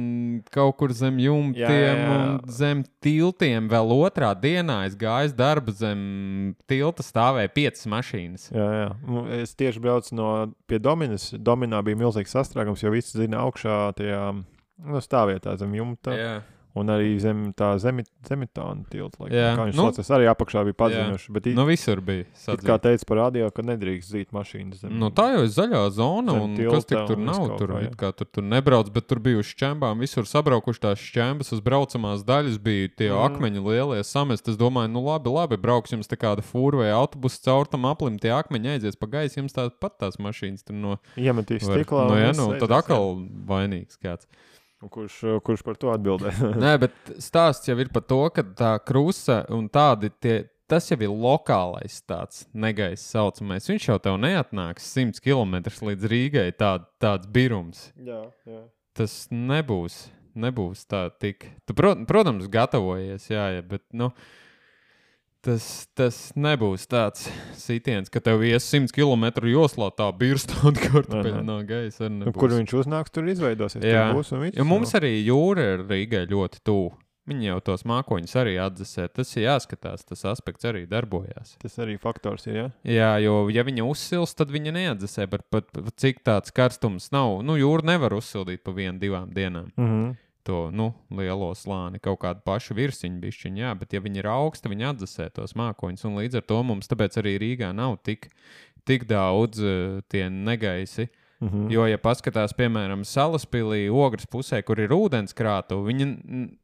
S2: kaut kur zem jumtiem
S3: Jā, jā, jā.
S2: un zem tiltiem. Vēl otrā dienā es gāju uz darbu zem tilta, stāvēja piecas mašīnas.
S3: Jā, jā. Nu, es tieši braucu no pie Dominas. Dominā bija milzīgs sastrēgums, jo visi zina augšā tajā nu, stāvvietā zem jumta.
S2: Jā.
S3: Un arī zem tā zemi, zemitāna tilta. Laikam,
S2: Jā.
S3: kā viņš
S2: Nu,
S3: nu, saucas, arī apakšā bija paziņojuši. Bet
S2: Nu, visur bija.
S3: it
S2: Sadzīts.
S3: kā teica par radio, ka nedrīkst zīt mašīnas zem.
S2: Nu, tā jau ir zaļā zona,
S3: Zem
S2: un
S3: tilta
S2: kas tik tur
S3: un viss
S2: nav?
S3: kaut
S2: Tur,
S3: kā, jā.
S2: it kā tur, tur nebrauc, bet tur bija uz šķembām. Visur sabraukuši tās šķembas, uz braucamās daļas bija tie
S3: Mm.
S2: mm. akmeņi lielie samest. Es domāju, nu labi, labi, brauks jums tā kāda fūra vai autobuss caur tam aplim, tie akmeņi aizies pa gaisu, jums tāpat tās mašīnas tur no...
S3: Iemetīs
S2: var-
S3: stiklā.
S2: Nu,
S3: un
S2: jā,
S3: viss
S2: nu, tad
S3: aizies,
S2: atkal vainīgs kāds.
S3: jā. Un Kurš, kurš par to atbildē?
S2: Nē, bet stāsts jau ir par to, ka tā krusa un tādi tie, tas jau ir lokālais tāds negaiss saucamais. Viņš jau tev neatnāks simts kilometrus līdz Rīgai tād, tāds birums.
S3: Jā, jā.
S2: Tas nebūs, nebūs tā tik. Tu, protams, gatavojies, jā, jā, bet, nu, tas, tas nebūs tāds sitiens, ka tev ies simts kilometru joslā tā birstot kartupeļu no gaisa.
S3: Nu, kur viņš uznāks, tur izveidosies.
S2: Jā,
S3: tur būs un viss,
S2: jo mums
S3: no.
S2: arī jūra ir Rīgai ļoti tuvu. Viņi jau tos mākoņus arī atdzesē. Tas ir jāskatās, tas aspekts arī darbojās.
S3: Tas arī faktors ir, jā?
S2: Jā, jo ja viņa uzsils, tad viņa neatdzesē, bet pat, pat cik tāds karstums nav. Nu, jūra nevar uzsildīt pa vienu, divām dienām.
S3: Mhm.
S2: To, nu, lielo slāni, kaut kādu pašu virsiņu bišķiņu, jā, bet ja viņi ir augsta, viņi atdzesē tos mākoņus, un līdz ar to mums tāpēc arī Rīgā nav tik, tik daudz uh, tie negaisi.
S3: Mhm.
S2: Jo, ja paskatās, piemēram, Salaspilī, Ogres pusē, kur ir ūdenskrātuve, viņa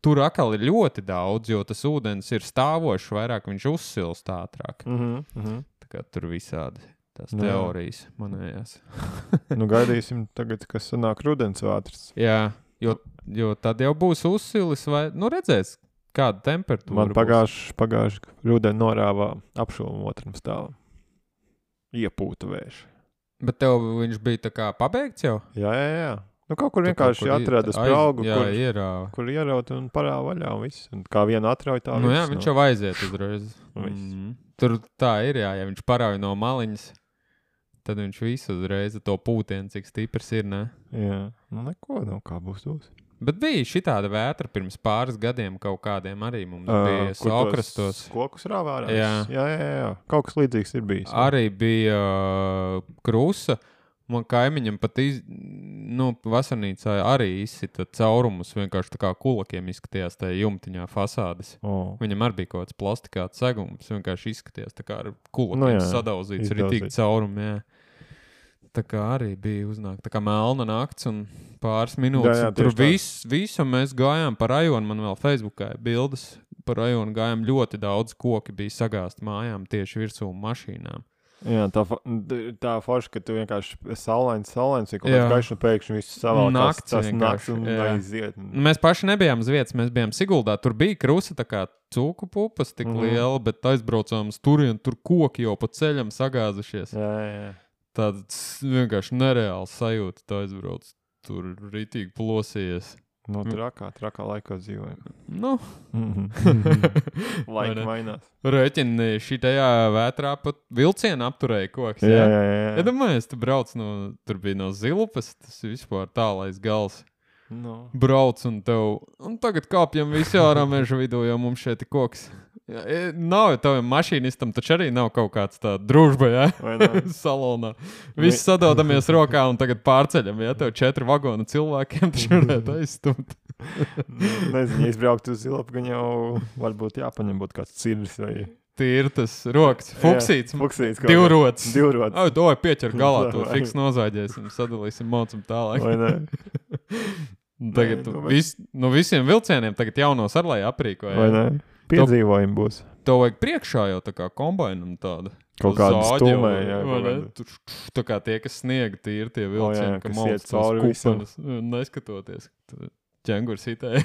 S2: tur atkal ir ļoti daudz, jo tas ūdens ir stāvošs, vairāk viņš uzsilst ātrāk.
S3: Mhm. Mhm.
S2: Tā kā tur visādi tās
S3: Jā.
S2: teorijas manējās.
S3: Nu, gaidīsim tagad, kas sanāk rudensvētrs.
S2: Jā, jo, jo tad jau būs uzsilis vai, nu, redzēs, kāda temperatūra
S3: Man pagājuši, pagājuši rudeni norāvā apšuvumu otram stāvam. Iepūta vēša.
S2: Bet tev viņš bija tā kā pabeigts jau?
S3: Jā, jā, jā. Nu, kaut kur
S2: Tu
S3: vienkārši
S2: kaut kur
S3: atrada
S2: aiz-
S3: spraugu,
S2: Jā,
S3: kur,
S2: ierāva.
S3: kur ieraut un parāva vaļā un viss. Un kā viena atrauj tā
S2: Nu
S3: viss,
S2: jā, viņš jau aiziet uzreiz.
S3: Viss.
S2: Mm. Tur tā ir, jā, ja viņš parauj no maliņas, tad viņš visu uzreiz to pūtienu, cik stiprs ir, ne?
S3: Jā, nu neko, nu kā būs būs.
S2: Bet bija šitāda vētra pirms pāris gadiem kaut kādiem arī mums
S3: Ā,
S2: bija
S3: kur
S2: saukrastos.
S3: tos Kokus rāvā ārā.
S2: Jā.
S3: jā, jā, jā. Kaut kas līdzīgs ir bijis. jā.
S2: Arī bija uh, krusa. Man kaimiņam pat iz, nu, vasarnīcā arī izsita caurumus, vienkārši tā kā kulakiem izskatījās tajā jumtiņā fasādes.
S3: O.
S2: Viņam arī bija kaut kāds plastikāts segums, vienkārši izskatījās tā kā ar kulakiem
S3: Nu jā,
S2: sadauzīts, arī
S3: izdauzīts.
S2: tik caurumi, jā. Tā kā arī bija uznāk, tā kā melna nakts un pāris minūtes.
S3: Jā, jā,
S2: un tur
S3: tieši tā.
S2: viss, visu mēs gājām pa rajonu, man vēl Facebookā ir bildes pa rajonu, gājām ļoti daudz koki bija sagāsti mājām tieši virsū mašīnām.
S3: Jā, tā, fa- d- tā forša, ka tu vienkārši saulains, saulains, ir kaut
S2: Jā.
S3: kāds gaišs un pēkšņi viss savalkās,
S2: Nakts
S3: tas
S2: vienkārši,
S3: nakts un
S2: jā.
S3: aiziet.
S2: Nu, Mēs paši nebijām uz vietas, mēs bijām Siguldā. Tur bija krusa tā kā cūku pupas tik
S3: Mhm.
S2: liela, bet aizbraucām uz turienu, tur koki jau pa ceļam sagāzušies.
S3: Jā, jā, jā.
S2: Tāds vienkārši nereāls sajūta, tā aizbrauc. Tur ritīgi plosījies.
S3: No trakā, trakā laikā dzīvojam.
S2: Nu, Vai
S3: Laika
S2: ne?
S3: mainās.
S2: rēķini šitajā vētrā pat vilcienu apturēja koks.
S3: Jā, jā, jā. jā.
S2: Iedomājies, tu brauc no, tur bija no Zilupas, tas ir vispār tālais gals.
S3: No.
S2: Brauc un tev, un tagad kāpjam visi ārā meža vidū, jo mums šeit ir koks. Jā, e, nav jau tavam mašīnistam, taču arī nav kaut kāds tā družba, jā,
S3: Vai ne?
S2: salonā. Visi sadodamies rokā un tagad pārceļam, jā, tev četri vagonu cilvēkiem taču varētu aizstumt.
S3: Nezinu, ja izbraukt uz Zilopu, gan jau varbūt jāpaņem būt kāds cirvis vai
S2: Tīri tas rokas, fuksīts,
S3: fuksīts. kaut kā.
S2: divrots.
S3: Divrots.
S2: Ai, to vai pieķer galā, to
S3: Vai.
S2: fiks nozāģēsim, sadalīsim mocam tālāk.
S3: Vai ne?
S2: Un Tagad
S3: Nē, nu,
S2: vis, no visiem vilcieniem tagad jaunos ar lai aprīkoja.
S3: Vai ne? Piedzīvojumi būs.
S2: Tev vajag priekšā jau tā kā kombainam tāda.
S3: Kaut
S2: tā
S3: kāda
S2: zāģe jau,
S3: stūmē, jā,
S2: vai
S3: kaut
S2: ne?
S3: kāda.
S2: Tur št- tā kā tie, kas sniega tīri tie
S3: O, jā,
S2: vilcieni, ka
S3: kas
S2: malc
S3: iet
S2: tos
S3: cauri visam.
S2: kupenes, neskatoties. Ķengurs hitēja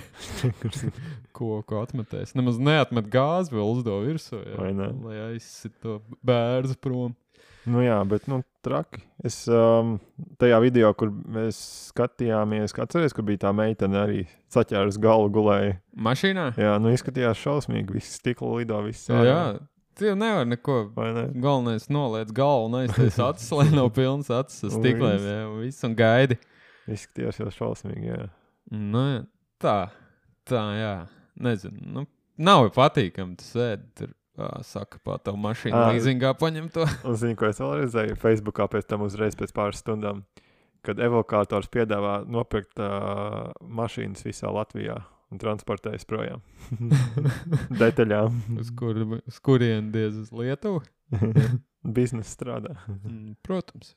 S2: koku atmetēs. Nemaz neatmet gāzi vēl uzdo virsū, jā,
S3: Vai ne?
S2: lai aizsit to bērzu prom.
S3: Nu jā, bet nu traki. Es um, tajā video, kur mēs skatījāmies, kā atceries, kur bija tā meitene arī saķēras galvu gulēja.
S2: Mašīnā?
S3: Jā, nu izskatījās šausmīgi. Viss stikla lido, viss
S2: Jā,
S3: ārā.
S2: jā. Tu jau nevar neko.
S3: Vai ne?
S2: Galvenais noliec galvu un aiztais acis, lai nav pilns acis ar
S3: Un
S2: stiklēm,
S3: viss.
S2: jā, un viss un gaidi.
S3: Izskatījās jau šausmīgi, jā.
S2: Nu, jā, tā, tā, jā, nezinu, nu, nav jau patīkami, tu sēdi tur, ā, saka, pā tavu mašīnu
S3: Ā.
S2: līzingā paņem to.
S3: Un zini, ko es vēl redzēju Facebookā pēc tam uzreiz pēc pāris stundām, kad evokators piedāvā nopirkt uh, mašīnas visā Latvijā un transportējas projām. Detaļām.
S2: Uz, kur, uz kurien diez uz Lietuvu?
S3: Biznesa strādā.
S2: Mm, Protams.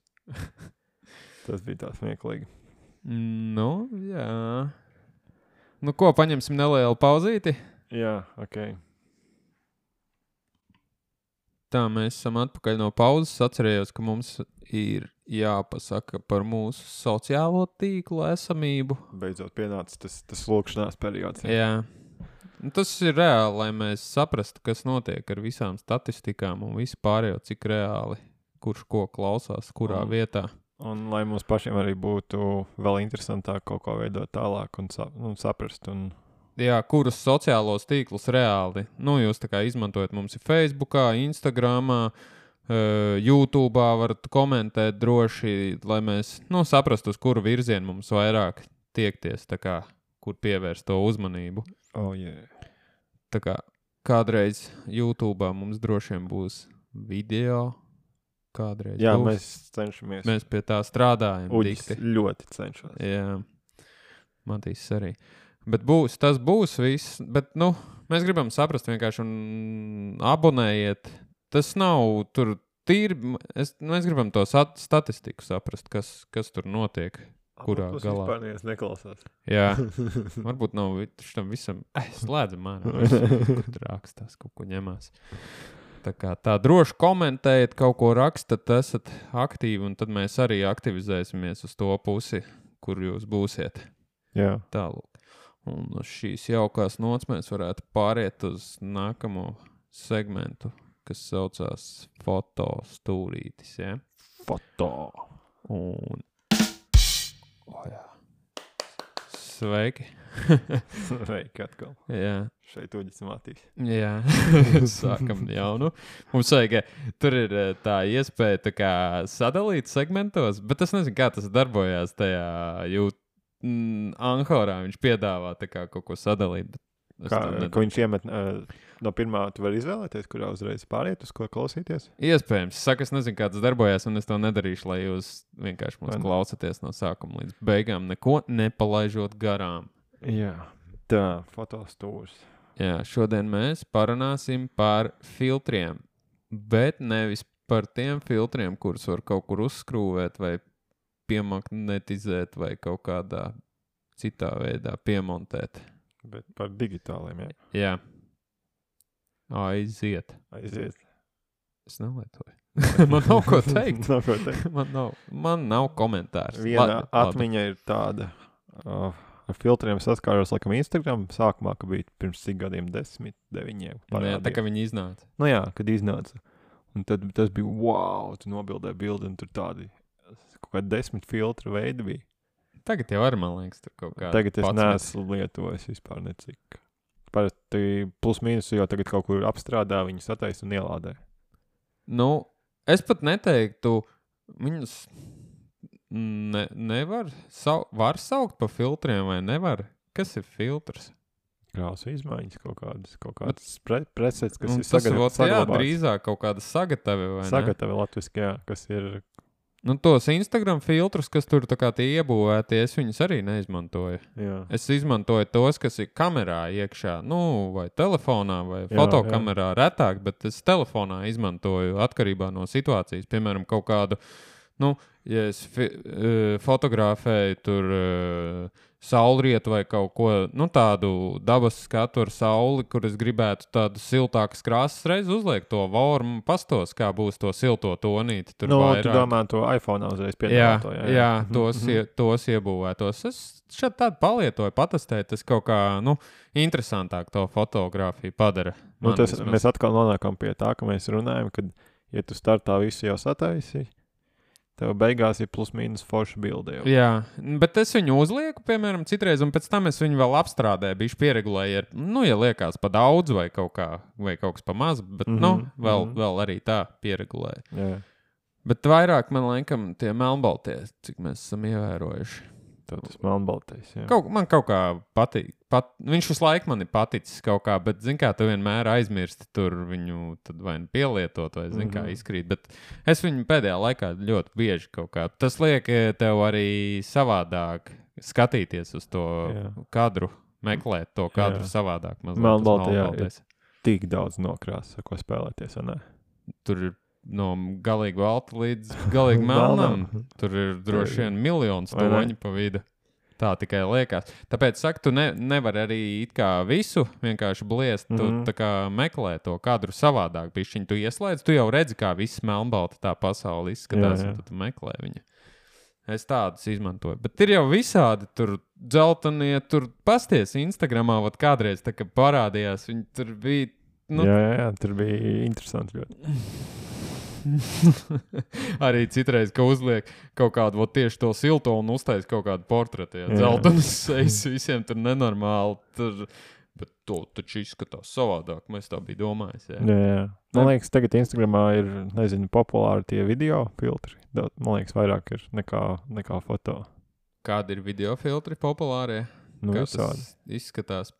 S3: Tas bija tā smieklīgi.
S2: Mm, Nu, jā. Nu, ko, paņemsim nelielu pauzīti?
S3: Jā, ok.
S2: Tā, mēs esam atpakaļ no pauzes. Atcerējos, ka mums ir jāpasaka par mūsu sociālo tīklu esamību.
S3: Beidzot pienāca tas, tas lūkšanās periods.
S2: Jā. Nu, tas ir reāli, lai mēs saprastu, kas notiek ar visām statistikām un visu pārējo, cik reāli, kurš ko klausās, kurā
S3: Un-
S2: vietā.
S3: Un lai mums pašiem arī būtu vēl interesantāk kaut ko veidot tālāk un, sap, un saprast. Un...
S2: Jā, kurus sociālos tīklus reāli, nu, jūs tā kā izmantojat, mums ir Facebookā, Instagramā, uh, YouTube'ā varat komentēt droši, lai mēs, nu, saprastu, uz kuru virzienu mums vairāk tiekties, tā kā, kur pievērst to uzmanību.
S3: Oh, yeah.
S2: Tā kā kādreiz YouTube'ā mums droši vien būs video, kādreiz
S3: Jā,
S2: būs.
S3: mēs cenšamies.
S2: Mēs pie tā strādājam.
S3: Uģis
S2: dikti.
S3: ļoti cenšas.
S2: Jā, Matīs arī. Bet būs, tas būs viss, bet, nu, mēs gribam saprast vienkārši un abonējiet. Tas nav tur tīri, es, mēs gribam to sat, statistiku saprast, kas, kas tur notiek. Kurā
S3: Apus
S2: galā?
S3: vispār neviens neklausās.
S2: Jā, varbūt nav šitam visam, eh, slēdzam ārā, kur tur rakstās, kaut ko ņemās. Tā kā tā droši komentējiet, kaut ko rakstat, esat aktīvi, un tad mēs arī aktivizēsimies uz to pusi, kur jūs būsiet.
S3: Jā.
S2: Tālūk. Un uz šīs jaukās nots mēs varētu pāriet uz nākamo segmentu, kas saucās fotostūrītis, ja?
S3: Foto.
S2: Un... O, jā. Sveiki.
S3: Sveiki atkal.
S2: Jā.
S3: Šeit Uģis Matīs.
S2: Jā, sākam jaunu. Mums vajag, tur ir eh, tā iespēja tā kā sadalīt segmentos, bet es nezinu, kā tas darbojās tajā jūt, mm, Anhorā. Viņš piedāvā tā kā kaut ko sadalīt. Bet es
S3: Kā,
S2: tā nedaru.
S3: ko viņš iemet uh, no pirmā, tu vari izvēlēties, kurā uzreiz pāriet, uz ko klausīties?
S2: Iespējams. Saka, es nezinu, kā tas darbojās, un es to nedarīšu, lai jūs vienkārši mūs
S3: Vai ne?
S2: klausaties no sākuma līdz beigām, neko nepalaižot garām.
S3: Jā. Tā, fotostūrs.
S2: Jā, šodien mēs parunāsim par filtriem, bet nevis par tiem filtriem, kurus var kaut kur uzskrūvēt vai piemagnetizēt vai kaut kādā citā veidā piemontēt.
S3: Bet par digitāliem, jā.
S2: Jā. Aiziet.
S3: Aiziet.
S2: Es nelietoju. Man nav ko teikt.
S3: Nav ko teikt.
S2: Man nav, man nav komentārs.
S3: Viena
S2: Labi,
S3: atmiņa ir tāda, uh, ar filtriem saskāros, laikam, Instagram sākumā, ka bija pirms cik gadiem, desmit, deviņiem.
S2: labi. Jā, tā kā viņi iznāca.
S3: Nu jā, kad iznāca. Un tad tas bija, wow, tu nobildēji bildi, un tur tādi kaut kādi desmit filtru veidi bija.
S2: Tagad jau arī, man liekas, tur kaut kā.
S3: Tagad es neesmu lietojis vispār necik. Parasti plus mīnus jau tagad kaut kur apstrādā, viņi sataisa un ielādē.
S2: Nu, es pat neteiktu, viņus ne, nevar, sau, var saukt pa filtriem vai nevar? Kas ir filtrs?
S3: Krāsu izmaiņas kaut kādas, kaut kādas pre, presets, kas
S2: Un
S3: ir
S2: tas
S3: sagatavots.
S2: vot, jā, drīzāk kaut kāda sagatavi, vai ne?
S3: Sagatavi latviski, jā, kas ir...
S2: Nu, tos Instagram filtrus, kas tur tā kā tie iebūvēti, es viņus arī neizmantoju.
S3: Jā.
S2: Es izmantoju tos, kas ir kamerā iekšā, nu, vai telefonā, vai
S3: Jā,
S2: fotokamerā retāk, bet es telefonā izmantoju atkarībā no situācijas. Piemēram, kaut kādu, nu, ja es fi, uh, fotografēju tur uh, saulrietu vai kaut ko, nu, tādu dabas skatu ar sauli, kur es gribētu tādu siltākas krāsas reiz uzliek to vormu, pastos, kā būs to silto tonīti. Tur
S3: Nu,
S2: vairāk.
S3: tu domā to iPhone uzreiz
S2: Jā,
S3: piedāvā to,
S2: jā, jā, tos, ie, tos iebūvētos. Es šeit tādu palietoju, patestēju, tas kaut kā, nu, interesantāk to fotografiju padara.
S3: Nu,
S2: Man
S3: tas,
S2: vismaz.
S3: mēs atkal nonākam pie tā, ka mēs runājam, kad, ja tu startā visu jau sataisi, tev beigās ir plus mīnus forša bilde jau.
S2: Jā, bet es viņu uzlieku, piemēram, citreiz, un pēc tam es viņu vēl apstrādēju, bišķi pieregulēju, ar, nu, ja liekas pa daudz vai kaut kā, vai kaut kas pa maz, bet, mm -hmm, nu, vēl, mm -hmm. vēl arī tā pieregulēju.
S3: Jā.
S2: Bet vairāk man laikam tie melnbaltie, cik mēs esam ievērojuši.
S3: Tad tas melnbaltais, jā.
S2: Kaut, man kaut kā patīk. Pat, viņš visu laiku man ir paticis kaut kā, bet, zin kā, tu vienmēr aizmirsti tur viņu tad vai nu pielietot, vai, zin kā,
S3: Mhm.
S2: izkrīt. Bet es viņu pēdējā laikā ļoti bieži kaut kā. Tas liek tev arī savādāk skatīties uz to
S3: Jā.
S2: kadru, meklēt to kadru
S3: Jā.
S2: savādāk. mazliet, tas
S3: Melnbaltajā ir
S2: melnbaltais.
S3: Tik daudz nokrās, ar ko spēlēties, vai ne?
S2: Tur ir no galīgi balta līdz galīgi melnam. Tur ir droši vien miljons
S3: Vai ne?
S2: toņu pa vidu. Tā tikai liekas. Tāpēc, saka, tu ne, nevari arī it kā visu vienkārši bliest. Tu
S3: Mhm.
S2: tā kā meklē to kadru savādāk. Bišķiņ tu ieslēdz, tu jau redzi, kā viss melnbalta tā pasaule izskatās,
S3: Jā, jā.
S2: un tad tu meklē viņu. Es tādus izmantoju. Bet ir jau visādi tur dzeltenie, tur pasties Instagramā, vat kādreiz tā, ka parādījās, viņi tur bija... Nu...
S3: Jā, jā, jā, tur bija interesanti ļoti.
S2: Arī citreiz, ka uzliek kaut kādu vat, tieši to silto un uztais kaut kādu portretu. Jā, dzeltenas sejas visiem tur nenormāli. Tur... Bet to taču izskatās savādāk. Mēs tā bija domājis. Jā,
S3: jā. jā. Man liekas, tagad Instagramā ir, nezinu, populāri tie video filtri. Man liekas, vairāk ir nekā, nekā foto.
S2: Kādi ir video filtri populārie?
S3: Nu,
S2: Kā
S3: visādi.
S2: Tas izskatās?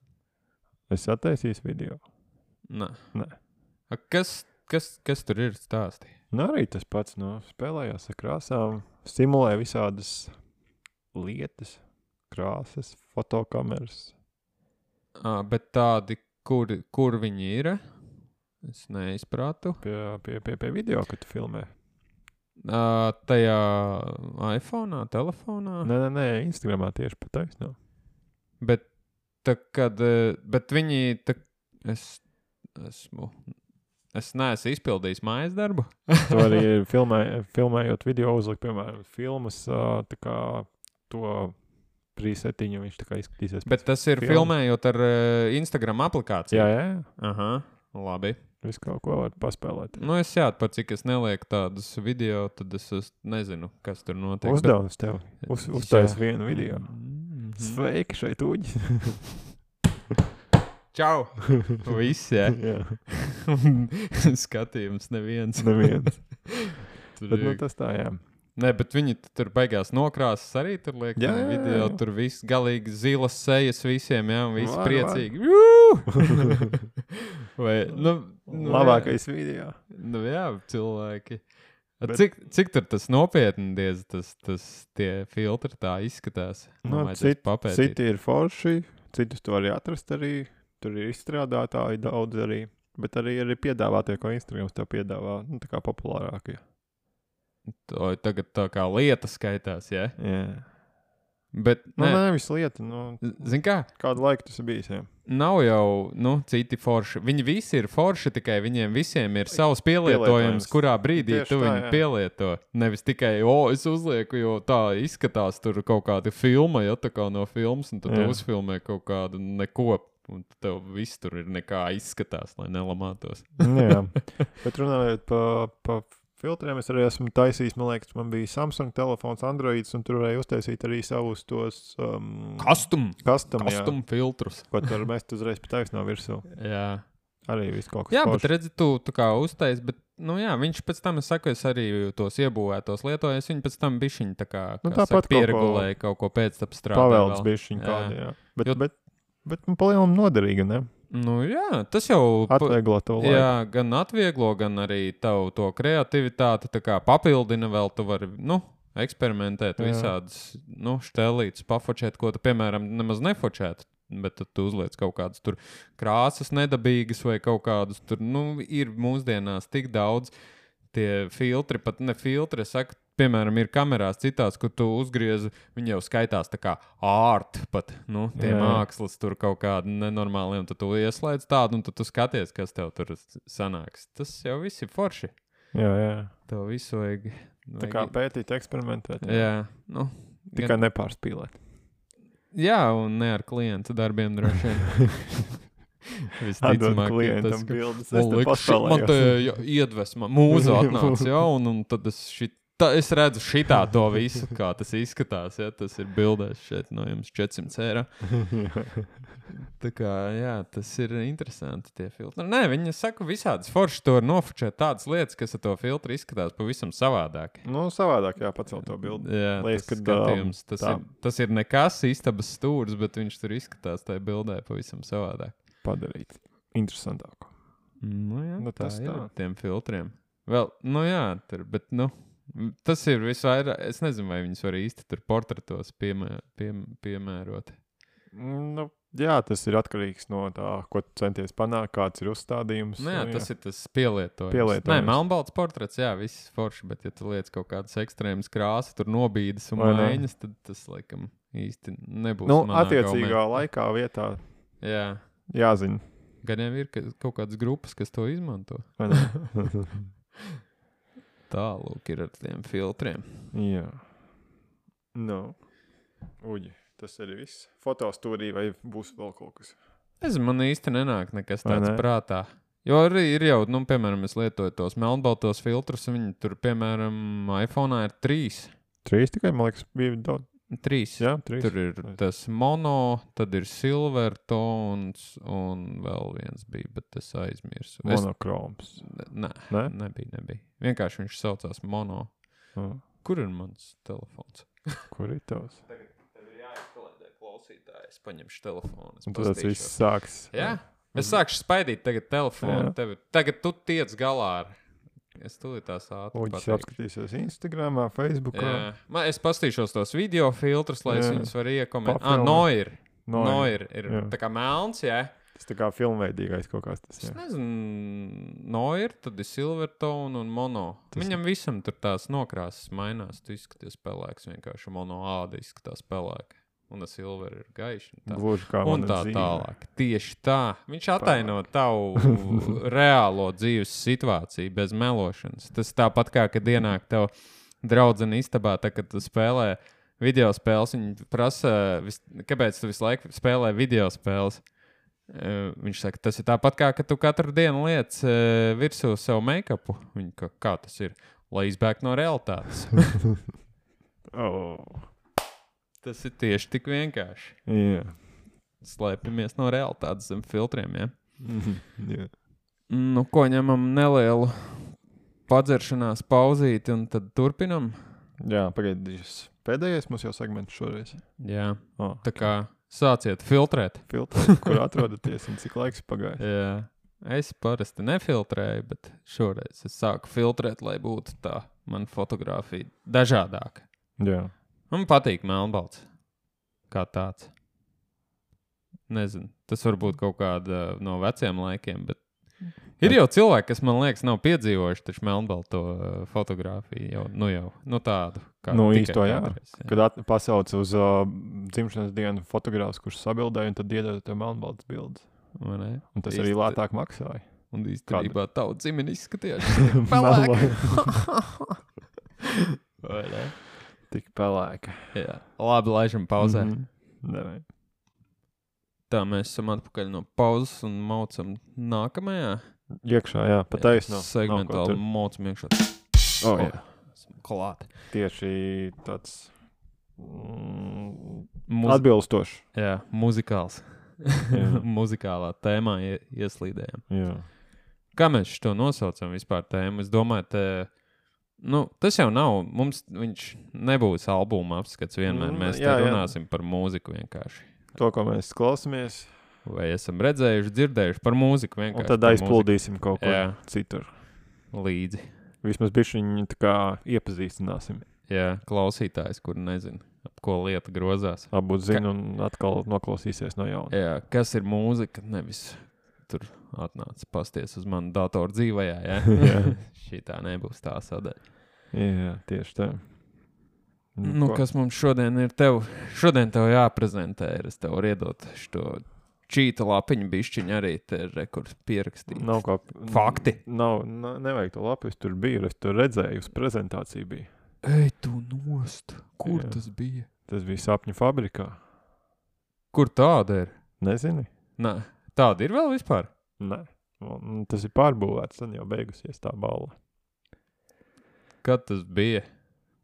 S3: Es attaisīju video.
S2: Nē.
S3: Nē.
S2: A, kas, kas, kas tur ir stāstī?
S3: Nu, arī tas pats, nu, spēlējās ar krāsām, stimulē visādas lietas, krāsas, fotokameras.
S2: À, bet tādi, kur, kur viņi ir? Es neizprātu.
S3: Pie, pie, pie, pie video, kad tu filmē.
S2: À, tajā iPhone'ā, telefonā?
S3: Nē, nē, nē, Instagramā tieši pa taisnā.
S2: Bet, tā, kad, bet viņi, tā, es esmu, es neesmu izpildījis mājas darbu.
S3: Tu arī filmē, filmējot video uzlikt, piemēram, filmas, tā kā to presetiņu viņš tā kā izskatīsies.
S2: Bet tas ir
S3: filmu.
S2: Filmējot ar uh, Instagram aplikāciju?
S3: Jā, jā.
S2: Aha, labi.
S3: Visu kaut ko var paspēlēt.
S2: Nu, es jā, par cik es nelieku tādus video, tad es, es nezinu, kas tur notiek.
S3: Uzdevums tev. Uz, uztais
S2: Jā.
S3: vienu video.
S2: Mm-hmm.
S3: Sveiki šeit uģi.
S2: Čau! Viss, jā.
S3: jā.
S2: Skatījums neviens.
S3: Neviens.
S2: Tur
S3: Bet, nu,
S2: ir-
S3: tas tā, jā.
S2: Nē, bet viņi t- tur beigās nokrāsas arī tur liek.
S3: Jā,
S2: tajā
S3: jā,
S2: video,
S3: jā.
S2: tur viss galīgi zilas sejas visiem, jā, un visi
S3: Var,
S2: priecīgi. Jū! Vai, nu, nu,
S3: Labākais video.
S2: Jā, nu, jā, cilvēki. A,
S3: Bet-
S2: Cik, cik tur tas nopietni diez, tas, tas tie filtri tā izskatās?
S3: Nu,
S2: Man vajadzēs
S3: cit,
S2: papētīt.
S3: citi ir forši, citus tu vari atrast arī. Tur ir izstrādātāji daudz arī. Bet arī ir piedāvātie, ko Instagrams tev piedāvā. Nu, tā kā populārākie.
S2: To tagad tā kā lieta skaitās, jā?
S3: Jā.
S2: Bet,
S3: Nu,
S2: nē,
S3: nē, visu lietu. Nu,
S2: zin kā?
S3: kādu laiku tas ir bijis, jā.
S2: Nav jau, nu, citi forši. Viņi visi ir forši, tikai viņiem visiem ir savs pielietojums,
S3: Pielietojums.
S2: kurā brīdī
S3: Tieši
S2: tu
S3: tā,
S2: viņu
S3: jā.
S2: pielieto. Nevis tikai, o, es uzlieku, jo tā izskatās tur kaut kāda filma, ja tā kā no filmas, un tad tu
S3: Jā.
S2: uzfilmē kaut kādu neko, un tev viss tur ir nekā izskatās, lai nelamātos.
S3: jā. Bet runājot pa, pa filtriem, es arī esmu taisījis, man liekas, man bija Samsung telefons, Androids, un tur varēja uztaisīt arī savus tos um,
S2: Custom,
S3: custom, jā,
S2: custom filtrus.
S3: ko tu vari mest uzreiz pa taisnā virsū.
S2: Jā.
S3: Arī viss kaut kas
S2: Jā, bet
S3: foršs.
S2: redzi, tu, tu kā uztais, bet, nu jā, viņš pēc tam, es saku, es arī tos iebūvētos lietoju, es viņu pēc tam bišķiņ tā kā,
S3: Nu,
S2: kā
S3: tāpat
S2: saka,
S3: kaut ko
S2: pieregulēju, kaut ko pēc tam strādāju.
S3: Pavelds
S2: vēl.
S3: bišķiņ
S2: Jā.
S3: kādi, jā. Bet,
S2: Jo-
S3: bet, bet man palielam noderīga, ne?
S2: Nu jā, tas jau... pa-
S3: Atvieglo to laiku.
S2: Jā, gan atvieglo, gan arī tavu to kreativitāti, tā kā papildina vēl, tu vari, nu, eksperimentēt
S3: Jā.
S2: visādas, nu, štelītas, pafočēt, ko tu, piemēram, nemaz nefočētu, bet tad tu uzliec kaut kādas tur krāsas nedabīgas vai kaut kādus tur, nu, ir mūsdienās tik daudz tie filtri, pat ne filtri, es saku, piemēram, ir kamerās citās, kur tu uzgriezi, viņi jau skaitās tā kā art pat, nu, tie
S3: Jā.
S2: mākslas tur kaut kādi nenormāli, un tad tu ieslēdz tādu, un tad tu skaties, kas tev tur sanāks. Tas jau viss ir forši.
S3: Jā, jā.
S2: Tev visu vajag.
S3: Tā kā pētīt, eksperimentēt.
S2: Jā, nu.
S3: Tikai nepārspīlēt.
S2: Jā, un ne ar klientu darbiem droši vien.
S3: Atdod
S2: Visticamāk, ka
S3: klientam
S2: tas, ka-
S3: bildes.
S2: Man
S3: Es te
S2: liekas, šit- man te
S3: paspēlējos.
S2: jā, iedvesma, mūza atnāca, jā, un, un tad es šit, tā, es redzu šitā to visu, kā tas izskatās, ja, tas ir bildēs šeit no jums četrsimt eiro. Tā kā, jā, tas ir interesanti tie filtri. Nē, viņi saka visādas forši to var nofočēt tādas lietas, kas ar to filtru izskatās pavisam savādāk.
S3: Nu, savādāk, jā, pacelt to bildi.
S2: Jā,
S3: Liekas,
S2: tas
S3: kad,
S2: skatījums, tas,
S3: tā-
S2: ir, tas ir nekas istabas stūris, bet viņš tur izskatās tajā bildē pavisam savādāk.
S3: Padarīt interesantāku.
S2: Nu, jā,
S3: Nu,
S2: tā
S3: tas
S2: ir
S3: tā.
S2: ar tiem filtriem. Vēl, nu jā, tur, bet, nu, tas ir visvairāk, es nezinu, vai viņus var īsti tur portretos piemē, piem, piemērot.
S3: Nu, jā, tas ir atkarīgs no tā, ko tu centies panākt, kāds ir uzstādījums.
S2: Nu jā, tas ir tas pielietojums.
S3: Pielietojums.
S2: Nē, melnbalts portrets, jā, viss forši, bet ja tu liec kaut kādas ekstrēmas krāsas, tur nobīdas un
S3: Vai ne?
S2: maiņas, tad tas, laikam, īsti nebūs
S3: Nu,
S2: manā
S3: attiecīgā
S2: gaumē.
S3: laikā vietā
S2: Jā,
S3: jāzina.
S2: gan jau ir ka, kaut kādas grupas, kas to izmanto.
S3: vai ne?
S2: Tālūk ir ar tiem filtriem.
S3: Jā. Nu, uģi, tas arī viss. Fotostūrī vai būs vēl kaut kas?
S2: Es man īsti nenāk nekas
S3: Vai
S2: tāds
S3: ne?
S2: prātā. Jo arī ir jau, nu, piemēram, es lietoju tos melnbaltos filtrus, un viņi tur, piemēram, iPhone'ā ir trīs.
S3: Trīs tikai, man liekas, bija daudz.
S2: Trīs.
S3: Jā, trīs.
S2: Tur ir tas mono, tad ir silver tons, un vēl viens bija, bet es aizmirsu. Es,
S3: Monokroms.
S2: nē,
S3: Ne?
S2: nebija, nebija. Vienkārši viņš saucās mono.
S3: Ah,
S2: Kur ir mans telefons?
S3: kur ir tavs?
S2: Tagad tev ir jāizkalēdē klausītāji. Es paņemšu telefonu. Es
S3: Un tad tas
S2: pastīšos.
S3: viss sāks.
S2: Jā? Es sākšu spaidīt tagad telefonu.
S3: Jā.
S2: Tevi, tagad tu tiec galā ar. Es tūlīt tās ātri
S3: Uģis
S2: pateikšu.
S3: apskatīsies Instagramā, Facebookā.
S2: Jā. Man, es pastīšos tos video filtrus, lai es
S3: Jā.
S2: viņus varu iekomentēt. Ah,
S3: Pafilmē.
S2: no ir.
S3: No,
S2: No
S3: ir.
S2: ir. Ir
S3: Jā.
S2: tā kā melns, jā.
S3: Tas tā kā filmveidīgais kaut kāds tas.
S2: Es
S3: Jā.
S2: nezinu, no ir, tad ir silver tone un mono.
S3: Tas-
S2: Viņam visam tur tās nokrāsas mainās. Tu izskaties pelēks, vienkārši mono āda izskatās pelēka. Un tas silver ir gaišs. un tā.
S3: Gluži kā
S2: Un
S3: mana
S2: tā
S3: dzīve.
S2: tālāk. Tieši tā. Viņš ataino tavu reālo dzīves situāciju bez melošanas. Tas tāpat kā, kad ienāk tev draudzene istabā, tā, kad tu spēlē video spēles, viņi prasa, vis, kāpēc tu visu laiku spēlē video spēles. Uh, viņš saka, tas ir tāpat kā, ka tu katru dienu liec uh, virsū savu make-upu. Viņa, ka, kā tas ir? Lai izbēgtu no realitātes.
S3: Oh.
S2: Tas ir tieši tik vienkārši.
S3: Jā.
S2: Slēpjamies no realitātes zem filtriem, ja?
S3: Mhm, jā.
S2: Nu, ko ņemam nelielu padzeršanās pauzīti un tad turpinam?
S3: Jā, pagaidīs. Pēdējais mums jau segments šoreiz.
S2: Jā,
S3: Oh,
S2: tā kā sāciet filtrēt.
S3: filtri, kur atrodaties un cik laiks pagājis.
S2: Jā, es parasti nefiltrēju, bet šoreiz es sāku filtrēt, lai būtu tā mana fotografija dažādāka.
S3: Jā.
S2: Man patīk melnbalts kā tāds. Nezinu, tas varbūt kaut kāda no veciem laikiem, bet ir jau cilvēki, kas man liekas nav piedzīvojuši taču melnbalto uh, fotografiju jau, nu jau, nu tādu. Kā
S3: Nu,
S2: tikai
S3: īsto, jā.
S2: kādreiz, jā.
S3: Kad at, pasauc uz uh, dzimšanas dienu fotogrāfs, kurš sabildēja, un tad iedod tev melnbaltas bildes.
S2: Vai ne?
S3: Un tas arī
S2: Īsti-
S3: lētāk maksāja.
S2: Un īstenībā tavu dzimeni izskatījās.
S3: Melnbalta.
S2: Vai ne?
S3: Tik pelēka.
S2: Jā. Labi, laižam pauzē.
S3: Mhm. Davai.
S2: Tā mēs esam atpakaļ no pauzes un maucam nākamajā.
S3: Iekšā, jā, pa taisno.
S2: Segmentāli maucam iekšā.
S3: Oh, jā.
S2: Esam klāt.
S3: Tieši tāds mm,
S2: Muzi
S3: atbilstošs.
S2: jā, muzikāls.
S3: Jā.
S2: Muzikālā tēmā ie ieslīdējam.
S3: Jā.
S2: Kā mēs šo nosaucam vispār tēmu? Es domāju, te, nu, tas jau nav, mums viņš nebūs albuma apskats vienmēr.
S3: Mm,
S2: Mēs
S3: jā,
S2: te
S3: jā.
S2: runāsim par mūziku vienkārši.
S3: To, ko mēs klausāmies,
S2: Vai esam redzējuši, dzirdējuši par mūziku
S3: un
S2: vienkārši.
S3: tad
S2: par
S3: aizpildīsim kaut ko
S2: Jā.
S3: citur.
S2: mūziku līdzi.
S3: Vismaz bišķi viņu tā kā iepazīstināsim.
S2: Jā, klausītājs, kur nezinu, ap ko lieta grozās.
S3: Varbūt zina un atkal noklausīsies no jauna.
S2: Jā, kas ir mūzika, nevis tur atnāca pasties uz manu datoru dzīvajā, jā?
S3: Jā.
S2: Šitā nebūs tā sadaļa.
S3: Jā, tieši tā.
S2: Nu,
S3: ko-
S2: kas mums šodien ir tev? Šodien tev jāprezentē, ir es tev varu iedot šo čīta lapiņu bišķiņu arī te rekord pierakstīt.
S3: Nav kā...
S2: Fakti.
S3: Nav, na, nevajag to lapu, es tur biju, es tur redzēju, uz prezentāciju bija.
S2: Ej, tu nost! Kur
S3: Jā.
S2: tas bija?
S3: Tas bija sapņu fabrikā.
S2: Kur tāda ir?
S3: Nezini?
S2: Nē, tāda ir vēl vispār?
S3: Nē. Un tas ir pārbūvēts, tad jau beigusies tā balva.
S2: Kad tas bija?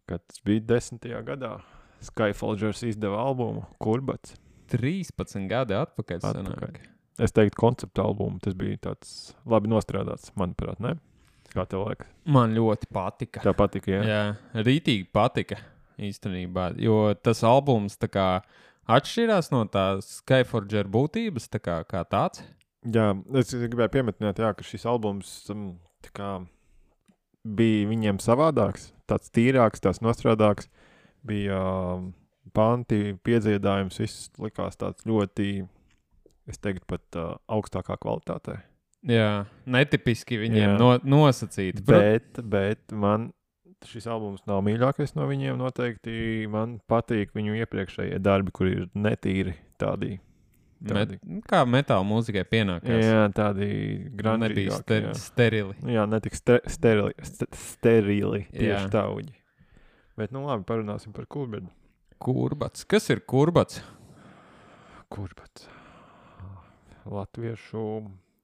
S3: Kad tas bija desmitajā gadā, Skyfalgers izdeva albumu Kurbats.
S2: trīspadsmit gadi atpakaļ.
S3: Atpakaļ.
S2: Sanāk.
S3: Es teiktu konceptu albumu, tas bija tāds labi nostrādāts, manuprāt, ne? Kā tev liekas?
S2: Man ļoti patika.
S3: Tev patika, jā?
S2: Jā, rītīgi patika īstenībā, jo tas albums tā kā atšķirās no tās Skyforger būtības, tā kā, kā tāds.
S3: Jā, es gribēju piemetināt, jā, ka šis albums um, tā kā bija viņiem savādāks, tāds tīrāks, tāds nostrādāks, bija um, panti, piedziedājums, viss likās tāds ļoti, es teiktu, pat uh, augstākā kvalitātē.
S2: Jā, netipiski viņiem
S3: Jā.
S2: no, nosacīti. Prot-
S3: Bet, bet man šis albums nav mīļākais no viņiem noteikti. Man patīk viņu iepriekšējie darbi, kur ir netīri tādi.
S2: Met,
S3: tādi.
S2: kā metāla mūzikai pienākās.
S3: Jā, tādi
S2: Nebija
S3: grandžīgāki.
S2: ster,
S3: jā.
S2: sterili.
S3: Jā, netik ste sterili, st sterili tieši
S2: Jā.
S3: tā uģi. Bet, nu labi, parunāsim par Kulberdu.
S2: Kurbats. Kas ir kurbats?
S3: Kurbats? Latviešu...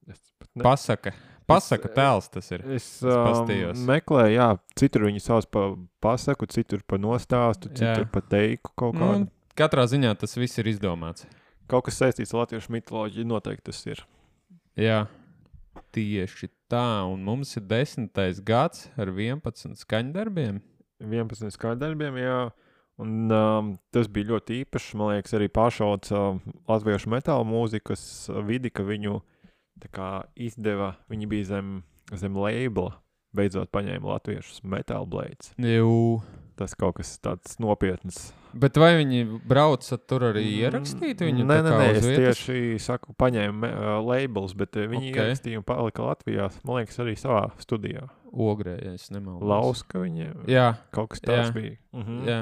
S3: Es pat ne...
S2: Pasaka. Pasaka tēls tas ir.
S3: Es, um, meklēju, jā, citur viņi sauc pa pasaku, citur pa nostāstu, citur jā. Pa teiku kaut kādu.
S2: Nu, katrā ziņā tas viss ir izdomāts.
S3: Kaut kas saistīts ar latviešu mitoloģiju, noteikti tas ir.
S2: Jā, tieši tā, un mums ir desmitais gads ar vienpadsmit skaņdarbiem.
S3: vienpadsmit skaņdarbiem, jā, un um, tas bija ļoti īpašs, man liekas, arī pašauc uh, latviešu metāla mūzikas vidi, ka viņu tā kā izdeva, viņi bija zem, zem labela, beidzot paņēma latviešus Metal Blades.
S2: Jū.
S3: Tas kaut kas tāds nopietns.
S2: Bet vai viņi brauca tur arī ierakstīt viņu?
S3: Nē, nē, nē, es
S2: vietas?
S3: tieši saku, paņēmu uh, labels, bet uh, viņi okay. ierakstīja un palika Latvijā, man liekas, arī savā studijā.
S2: Ogrē, ja es nemaldos.
S3: Lauska viņiem.
S2: Jā.
S3: Kaut kas tāds
S2: jā.
S3: bija. Mhm.
S2: Jā.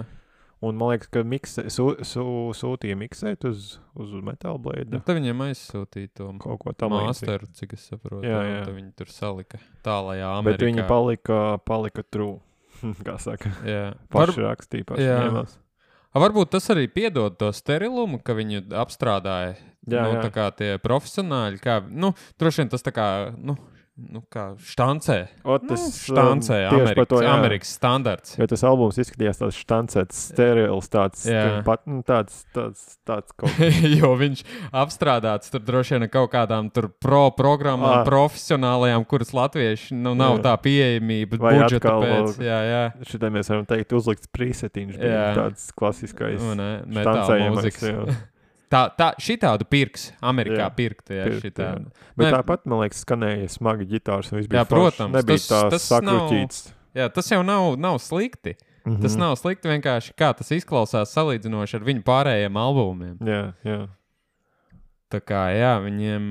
S3: Un man liekas, ka mikse, su, su, sūtīja miksēt uz, uz Metal Blade.
S2: Nu, tad viņiem aizsūtīja to
S3: kaut ko tam
S2: masteru, cik es saprotu.
S3: Jā, jā.
S2: Tad viņi tur salika tālajā Amerikā.
S3: Bet viņi palika, palika true, kā saka.
S2: Jā.
S3: Paši
S2: Var...
S3: rakstīja, paši
S2: jā.
S3: ņēmās.
S2: A, varbūt tas arī piedod to sterilumu, ka viņu apstrādāja.
S3: Jā,
S2: nu,
S3: jā.
S2: tā kā tie profesionāļi, kā, nu, droši vien tas tā kā, nu, nu kā štancē.
S3: O, tas,
S2: nu, štancē,
S3: um,
S2: Amerikas,
S3: to,
S2: Amerikas standarts.
S3: Jo tas albums izskatījās tāds štancēts, sterils, tāds, pat, nu, tāds, tāds, tāds kaut kā.
S2: Jo viņš apstrādāts tur droši vien kaut kādām tur pro programmām, ah. profesionālajām, kuras latvieši, nu, nav jā. Tā pieejamība,
S3: vai
S2: budžeta
S3: atkal,
S2: pēc. Jā, jā.
S3: Šitai mēs varam teikt uzlikts presetiņš, bija tāds klasiskais
S2: nu, ne, metāla mūzikas. Tā, tā, šitādu pirks, Amerikā jā, pirkt, jā,
S3: pirkt,
S2: šitādu.
S3: Jā. Bet ne, tāpat, man liekas, skanēja smagi ģitārs, un viss bija
S2: jā, protams,
S3: nebija
S2: tas,
S3: tās
S2: tas
S3: sakruķīts.
S2: Nav, jā, tas jau nav, nav slikti. Mm-hmm. Tas nav slikti vienkārši, kā tas izklausās salīdzinoši ar viņu pārējiem albumiem.
S3: Jā, jā.
S2: Tā kā, jā, viņiem...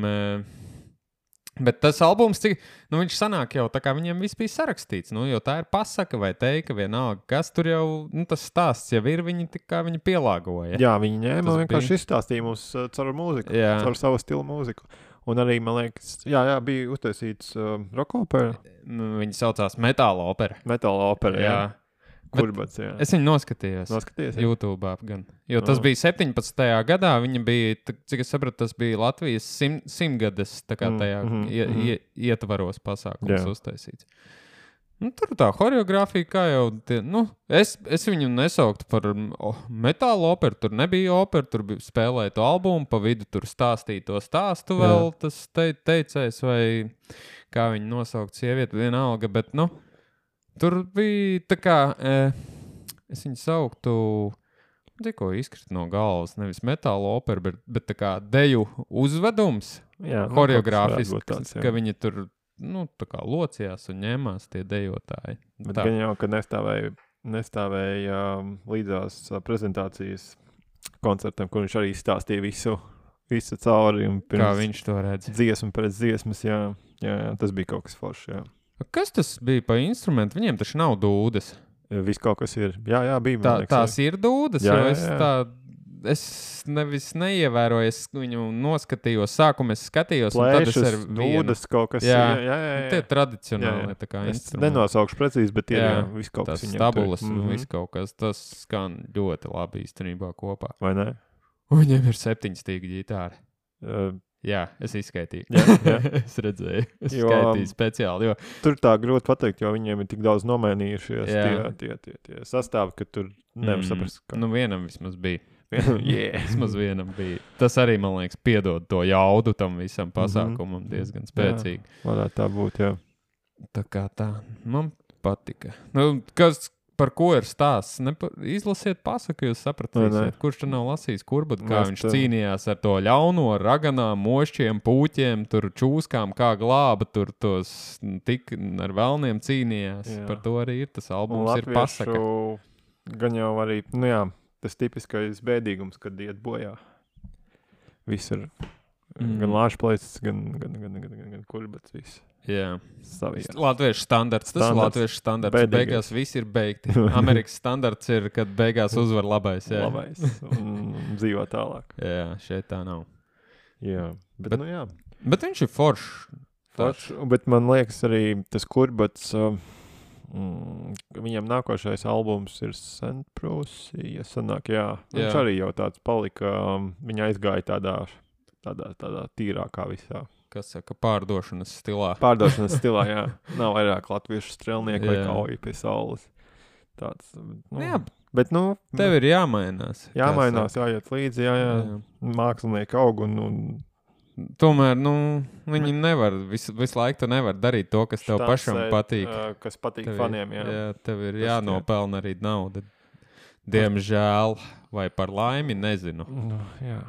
S2: Bet tas albums, cik, nu viņš sanāk jau tā kā viņiem viss bija sarakstīts, nu, jo tā ir pasaka vai teika vienalga, kas tur jau, nu, tas stāsts jau ir, viņi tā kā viņi pielāgoja.
S3: Jā, viņi ņēma un vienkārši bija... izstāstīja mums uh, caur mūziku, jā. Caur savu stilu mūziku. Un arī, man liekas, jā, jā, bija uztaisīts uh, rock opera.
S2: Viņi saucās Metāla opera.
S3: Metāla opera, jā. jā. Kurbats, jā.
S2: Es viņu noskatījos.
S3: Noskaties,
S2: YouTube'ā gan. Jo tas no. bija septiņpadsmitajā gadā, viņa bija, cik es sapratu, tas bija Latvijas sim, simgades, tā kā tajā mm, mm, ie, mm. Ie, ietvaros pasākums jā. Uztaisīts. Nu, tur tā horeogrāfija, kā jau, tie, nu, es, es viņu nesauktu par oh, metāla operu, tur nebija opera, tur bija spēlēja to albumu, pa vidu tur stāstīja to stāstu vēl, jā. Tas te, teicējs vai kā viņu nosaukt sievieti, vienalga, bet, nu, tur bija tā kā, e, es viņu sauktu, tikko izkrīt no galvas, nevis metāla opera, bet, bet tā kā deju uzvedums, jā, horeogrāfiski, tāds, ka viņi tur, nu, tā kā locījās un ņēmās tie dejotāji.
S3: Bet gan jau, ka nestāvēja, nestāvēja līdzās prezentācijas koncertam, kur viņš arī stāstīja visu, visu cauri.
S2: Kā viņš to redz?
S3: Dziesmu pēc dziesmas, jā, jā, jā, tas bija kaut kas foršs, jā.
S2: Kas tas bija pa instrumentu? Viņiem taču nav dūdes.
S3: Viss kaut kas ir. Jā, jā, bija.
S2: Tā,
S3: liekas,
S2: tās ir dūdes,
S3: jā,
S2: jo
S3: jā,
S2: es
S3: jā.
S2: tā, es nevis neievēroju, es viņu noskatījos, sākumā es skatījos,
S3: Plēšas,
S2: un tad es ar vienu.
S3: Dūdes kaut kas.
S2: Jā,
S3: jā, jā, jā.
S2: Tie tradicionāli, jā, jā. Tā kā
S3: es
S2: instrumenti.
S3: nenosaukšu precīzi, bet ir, jā, jā viss kaut
S2: tas
S3: kas.
S2: Tas tabulas un
S3: mm-hmm.
S2: viss kaut kas, tas skan ļoti labi īstenībā kopā.
S3: Vai ne?
S2: Un viņiem ir septiņstīga ģitāra.
S3: Uh,
S2: Jā, es izskaitīju.
S3: Jā, jā.
S2: Es redzēju. Es
S3: jo,
S2: skaitīju speciāli. Jo...
S3: Tur tā grūti pateikt, jo viņiem ir tik daudz nomainījušies tie, tie, tie, tie sastāvi, ka tur nevar
S2: mm,
S3: saprast. Ka...
S2: Nu, vienam vismaz bija.
S3: yeah.
S2: Vismaz vienam bija. Tas arī, man liekas, piedod to jaudu tam visam pasākumam mm-hmm. diezgan spēcīgi.
S3: Jā, varētu tā būt, jā.
S2: Tā kā tā. Man patika. Nu, kas... Par ko ir stāsts? Nepa... Izlasiet pasaku, jūs sapratīsiet. Kurš tur nav lasījis kurbatu, kā Mēs viņš tā... cīnījās ar to ļauno, raganām, mošķiem, pūķiem, tur čūskām, kā glāba, tur tos tik ar velniem cīnījās. Jā. Par to arī ir tas albums, ir pasaka.
S3: Gan jau arī, nu jā, tas tipiskais bēdīgums, kad iet bojā. Visur. Mm. Gan lāčplēcis, gan, gan, gan, gan, gan, gan kurbats, viss.
S2: Jā,
S3: Savijā.
S2: Latviešu standarts. Tas standarts. Ir latviešu standarts. Bēdīgais. Beigās viss ir beigti. Amerikas standarts ir, kad beigās uzvar labais. Jā.
S3: Labais. Un dzīvo tālāk.
S2: Jā, šeit tā nav.
S3: Jā, bet, bet nu jā.
S2: Bet viņš ir foršs.
S3: Foršs, bet man liekas arī tas kurbats, uh, Mm, viņam nākošais albums ir Saint Prusija, sanāk, jā. Viņš
S2: Jā.
S3: arī jau tāds palika, um, viņa aizgāja tādā, tādā, tādā tīrākā visā.
S2: Kas saka, pārdošanas stilā.
S3: Pārdošanas stilā, jā. Nav vairāk latviešu strelnieku vai
S2: Jā.
S3: kauji pie saules. Tāds, nu,
S2: Jā,
S3: bet, nu,
S2: tev ir jāmainās. kā
S3: jāmainās,
S2: saka.
S3: jāiet līdzi, jā, jā.
S2: Jā.
S3: Mākslinieki aug un, un
S2: Tomēr, nu, viņi nevar, visu, visu laiku tu nevar darīt to, kas tev pašam
S3: štancēt,
S2: patīk.
S3: ā, kas patīk
S2: Tev ir-
S3: faniem, jā.
S2: jā, tev ir
S3: Tas
S2: jānopelna arī nauda. Diemžēl, vai par laimi, nezinu.
S3: Nu, jā.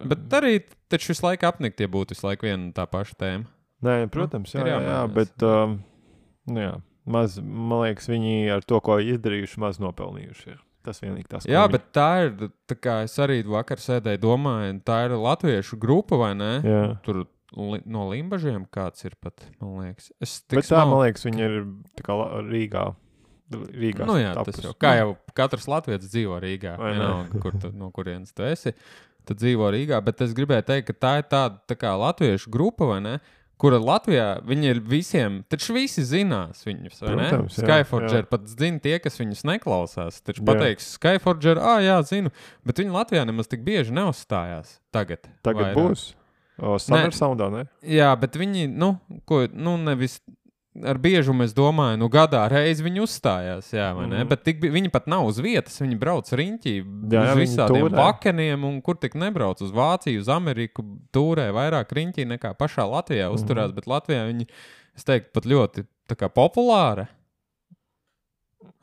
S2: Bet arī taču visu laiku apnikt, ja būtu visu laiku viena un tā paša tēma.
S3: Nē, protams, jā,
S2: ir
S3: jā, jā,
S2: jāmainās.
S3: bet, um, nu jā, maz, man liekas, viņi ar to, ko izdarījuši, maz nopelnījuši ir. Tas vienīgi tas, ko
S2: Jā,
S3: viņi-
S2: bet tā ir, tā kā es arī vakar sēdēju domāju, tā ir latviešu grupa, vai ne?
S3: Jā.
S2: Tur li, no Limbažiem kāds ir pat, man liekas. Es tik
S3: Bet tā,
S2: smal-
S3: man liekas, viņi ir tā kā La- Rīgā. Rīgā
S2: Nu jā, tas
S3: tapus.
S2: jau, kā jau katrs latvietis dzīvo Rīgā,
S3: Vai ne?
S2: vienalga, kur tu, no kurienes tu esi, tad dzīvo Rīgā, bet es gribēju teikt, ka tā ir tāda tā kā latviešu grupa, vai ne, kura Latvijā, viņi ir visiem, taču visi zinās viņus, vai ne?
S3: Protams, jā,
S2: Skyforger
S3: jā.
S2: pat zina tie, kas viņus neklausās, taču
S3: Jā.
S2: pateiks Skyforger, ā, jā, zinu, bet viņi Latvijā nemaz tik bieži neuzstājās tagad.
S3: Tagad
S2: vairāk.
S3: būs. O, Summer Soundā, ne?
S2: Jā, bet viņi, nu, ko, nu, nevis ar biežumu es domāju, nu, gadā reizi viņi uzstājās, jā, vai ne?
S3: Mhm.
S2: Bet tik, bi- viņi pat nav uz vietas, viņi brauc riņķī
S3: Jā,
S2: uz
S3: jā, viņi
S2: visādiem
S3: tūrē.
S2: vakeniem, un kur tik nebrauc uz Vāciju, uz Ameriku, tūrē vairāk riņķī nekā pašā Latvijā
S3: Mhm.
S2: uzturās, bet Latvijā viņi, es teiktu, pat ļoti tā kā populāra.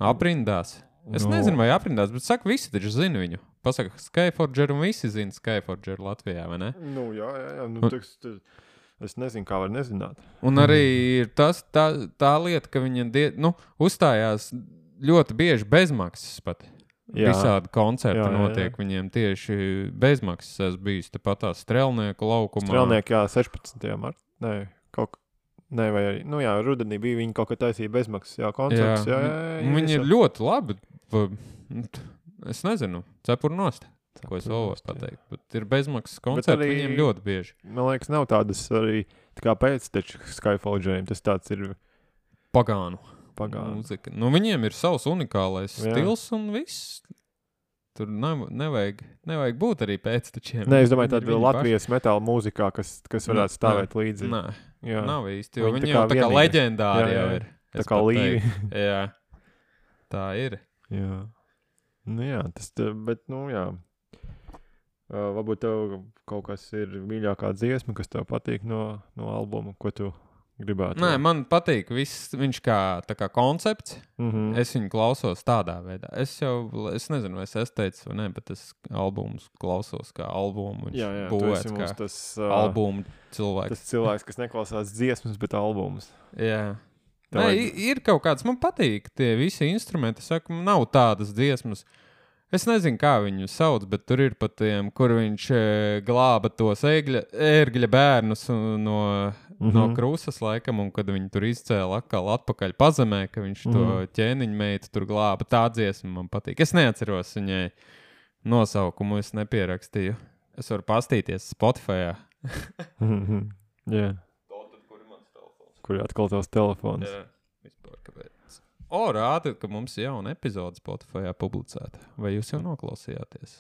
S2: Aprindās. Es
S3: Nu.
S2: nezinu, vai aprindās, bet saka, visi taču zina viņu. Pasaka, Skyforger un visi zina Skyforger Latvijā, vai ne?
S3: Nu, jā, jā, jā. Nu,
S2: Un-
S3: tas, tas, es nezinu, kā var nezināt.
S2: Un arī ir tas, tā, tā lieta, ka viņi die, nu, uzstājās ļoti bieži bezmaksas pat.
S3: Jā.
S2: Visādi koncerti
S3: Jā, jā, jā.
S2: notiek viņiem tieši bezmaksas. Es biju tepat tā strelnieku laukumā.
S3: Strelnieki, jā, sešpadsmitajā martā. Nē, kaut kā. Nē, vai arī, nu jā, rudenī bija viņi kaut kā taisīja bezmaksas, jā, koncerts. Jā, jā, jā, jā,
S2: Un viņi
S3: jā,
S2: ir ļoti labi. Pa- Es nezinu, cepur nost, ko es vēl varu pateikt. Bet ir bezmaksas koncerti
S3: arī-
S2: viņiem ļoti bieži.
S3: Man liekas, nav tādas arī, tā kā pēcteču Skyforgeriem, tas tāds ir
S2: Pagānu
S3: pagānu.
S2: mūzika. Nu, viņiem ir savs unikālais
S3: Jā.
S2: stils un viss. Tur nav, nevajag, nevajag būt arī pēctečiem.
S3: Nē, es domāju,
S2: Viņi ir
S3: tāda
S2: viņi
S3: Latvijas metāla mūzika, kas, kas varētu stāvēt
S2: Nē,
S3: līdzi.
S2: Nē,
S3: Jā.
S2: nav īsti, jo
S3: Viņi tā
S2: viņi
S3: kā
S2: jau tā kā
S3: vienīgie.
S2: leģendāri
S3: Jā,
S2: jau
S3: jā.
S2: ir.
S3: Tā
S2: es
S3: kā
S2: pat
S3: līvi.
S2: teiktu. Jā, tā ir.
S3: Jā. Nu jā, tas, tā, bet, nu jā. Uh, varbūt tev kaut kas ir mīļākā dziesma, kas tev patīk no, no albuma, ko tu gribētu.
S2: Nē, man patīk viss, viņš kā, tā kā koncepts.
S3: Mhm.
S2: Es viņu klausos tādā veidā. Es jau, es nezinu, vai es esmu teicis vai nē, bet es albumus klausos kā albumu. Viņš
S3: Jā, jā, tu
S2: būvēts
S3: esi
S2: kā
S3: mums tas, uh,
S2: albumu cilvēks.
S3: tas cilvēks, kas neklausās dziesmas, bet albumus.
S2: Jā.
S3: Tev
S2: Nē,
S3: vajag-
S2: i- ir kaut kāds, man patīk tie visi instrumenti. Es saku, nav tādas dziesmas. Es nezinu, kā viņu sauc, bet tur ir pat tiem, kur viņš e, glāba tos ēgļa, ērgļa bērnus un no, mm -hmm. no
S3: Mhm.
S2: krūzes laikam, un kad viņi tur izcēla atkal atpakaļ pazemē, ka viņš mm -hmm. to ķēniņu meitu tur glāba. Tā dziesma man patīk. Es neatceros viņai nosaukumu, es nepierakstīju. Es varu pastīties Spotify.
S3: Mhm. Jā. Kur ir atkal tavs telefons?
S2: Jā, vispār kāpēc. O, rāda, ka mums ir jauna epizode Spotify publicēta. Vai jūs jau noklausījāties?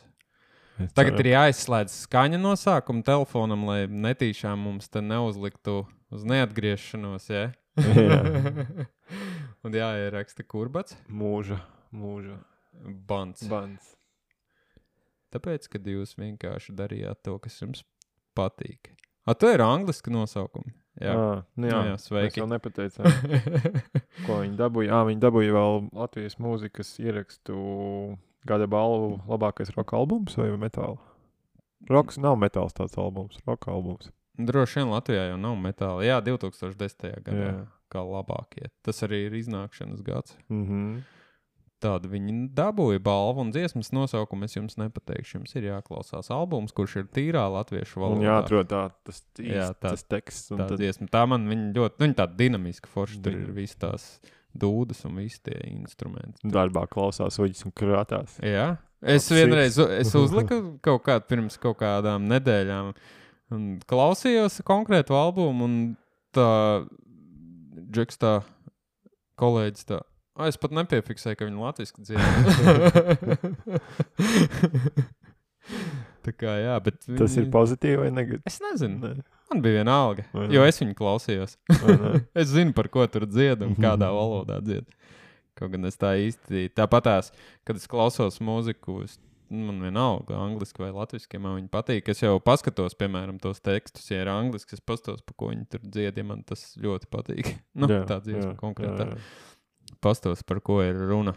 S3: Es
S2: Tagad
S3: ceru.
S2: ir jāizslēdz skaņa no sākuma telefonam, lai netīšām mums te neuzliktu uz neatgriešanos, ja?
S3: Jā.
S2: Un jāieraksta kurbats,
S3: Mūža, mūža.
S2: bans.
S3: Bans.
S2: Tāpēc, kad jūs vienkārši darījāt to, kas jums patīk. A, tu ir angliski nosaukumi. Jā,
S3: Ā, nu jā,
S2: Nu jā, sveiki.
S3: Mēs jau nepateicām, ko viņi dabūja. Ā, viņi dabūja vēl Latvijas mūzikas ierakstu gada balvu labākais roka albums vai metāla? Roks nav metāls tāds albums, roka albums.
S2: Droši vien Latvijā jau nav metāla. Jā, divi tūkstoši desmitajā gadā.
S3: Jā.
S2: Kā labākie. Tas arī ir iznākšanas gads.
S3: Mhm.
S2: Tāda viņi dabūja balvu un dziesmas nosaukumu. Es jums nepateikšu. Jums ir jāklausās albums, kurš ir tīrā latviešu
S3: Un
S2: valodā.
S3: jāatrod tā, tas, īst,
S2: Jā, tā-
S3: tas teksts. Un
S2: Tā
S3: tad,
S2: dziesma. Tā man viņa ļoti, nu, viņa tāda dinamiska forša. Tur
S3: Viņa-
S2: ir visi tās dūdas un visi tie instrumenti.
S3: darbā klausās uģis un krātās.
S2: Jā. Es
S3: Apsīts.
S2: vienreiz es uzliku kaut kādu pirms kaut kādām nedēļām un klausījos konkrētu albumu un tā Džeks tā kolēģis tā, O, es pat nepiefiksēju, ka viņi latviski dzied. Tā kā, jā, bet... Viņi...
S3: Tas ir pozitīvi vai negatīvi?
S2: Es nezinu.
S3: Ne.
S2: Man bija viena alga, jo es viņu klausījos. Es zinu, par ko tur dzied un kādā valodā dzied. Kaut gan es tā īsti... Tāpatās, kad es klausos mūziku, es, man vienalga, angliski vai latviski, ja man viņi patīk. Es jau paskatos, piemēram, tos tekstus, ja ir angliski, es paskatos, pa ko viņi tur dzied, ja man tas ļoti patīk. Nu, jā, tā dziesma konkrētā. Jā, jā. Pastos, par ko ir runa.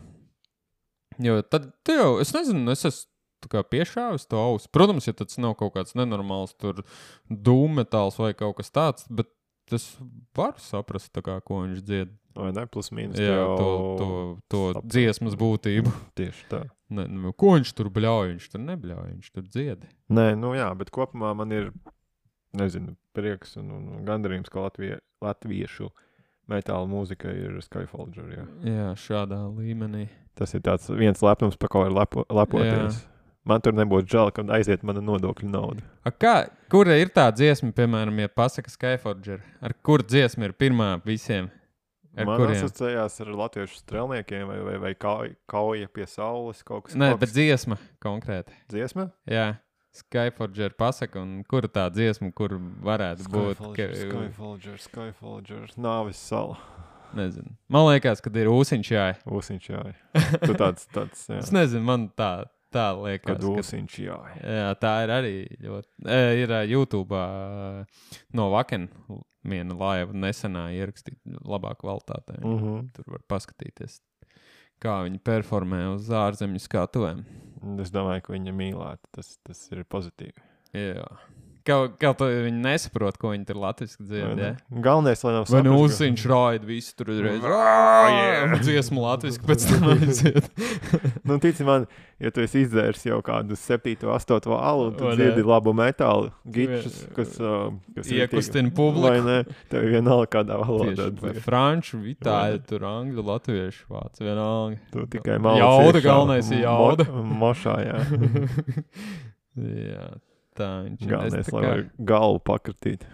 S2: Jo tad, tu jau, es nezinu, es esmu tā kā piešāvis to ausu. Protams, ja tas nav kaut kāds nenormāls tur dūmmetāls vai kaut kas tāds, bet es varu saprast, tā kā, ko viņš dzied.
S3: Vai ne, plus mīnus.
S2: Jā, to, to, to dziesmas būtību.
S3: Tieši tā.
S2: Ne, nu, ko viņš tur bļauj? Viņš tur nebļauj, viņš tur dzied.
S3: Nē, nu jā, bet kopumā man ir, nezinu, prieks un, un, un gandarījums, ka Latvie, latviešu metāla mūzika ir Skyfolger, jā.
S2: Jā, šādā līmenī.
S3: Tas ir tāds viens lepnums, pa ko ir lepo, lepoties. Jā. Man tur nebūtu žēl, kad aiziet mana nodokļu nauda.
S2: A kā, kura ir tā dziesma, piemēram, ja pasaka Skyfolger? Ar kur dziesma ir pirmā visiem? Ar
S3: Man
S2: kuriem?
S3: asociējās ar latviešu strelniekiem vai, vai, vai kauja, kauja pie saules kaut kas.
S2: Nē,
S3: kaut kas.
S2: bet dziesma konkrēti.
S3: Dziesma?
S2: Jā. Skyfolger pasaka, un kura tā dziesma, kur varētu būt?
S3: Skyfolger, Skyfolger, Skyfolger, Nāvis sala.
S2: Nezinu. Man liekas, kad ir ūsiņš jāj.
S3: Ūsiņš jāj. Tu tāds, tāds, jā.
S2: Es nezinu, man tā, tā liekas.
S3: Kad ūsiņš jāj.
S2: Jā, tā ir arī ļoti. E, ir YouTube no Vaken viena laiva nesenā ierakstīt labā kvalitātē.
S3: Mm-hmm.
S2: Tur var paskatīties, kā viņi performē uz ārzemju skatuvēm.
S3: Es domāju, ka viņa mīlētu. Tas, tas ir pozitīvi.
S2: Jā. Kaut kā viņi nesaprot, ko viņi tur latviski dzied, ja?
S3: Galvenais, lai nav
S2: vai nu
S3: saprast,
S2: uziņš
S3: ka...
S2: raida visu tur uzreiz. Yeah. Dziesmu latviski pēc tam aiziet.
S3: Nu, tici man, ja tu esi izdzērs jau kādu septīto, astoto alu, tu
S2: O,
S3: dziedi
S2: ne.
S3: labu metālu, gičus, kas... Uh, kas
S2: Iekustina publiku.
S3: Vai ne? Tev vienalga kādā valodā.
S2: Vai franču, vitāļu, tur angļu, latviešu vācu, vienalga.
S3: Tu tikai malci
S2: Jauda,
S3: iekšā.
S2: galvenais ir jauda.
S3: Mo, mošā, jā.
S2: Jā, tā viņš ir.
S3: Galvenais, lai
S2: kā...
S3: var galvu pakratīt.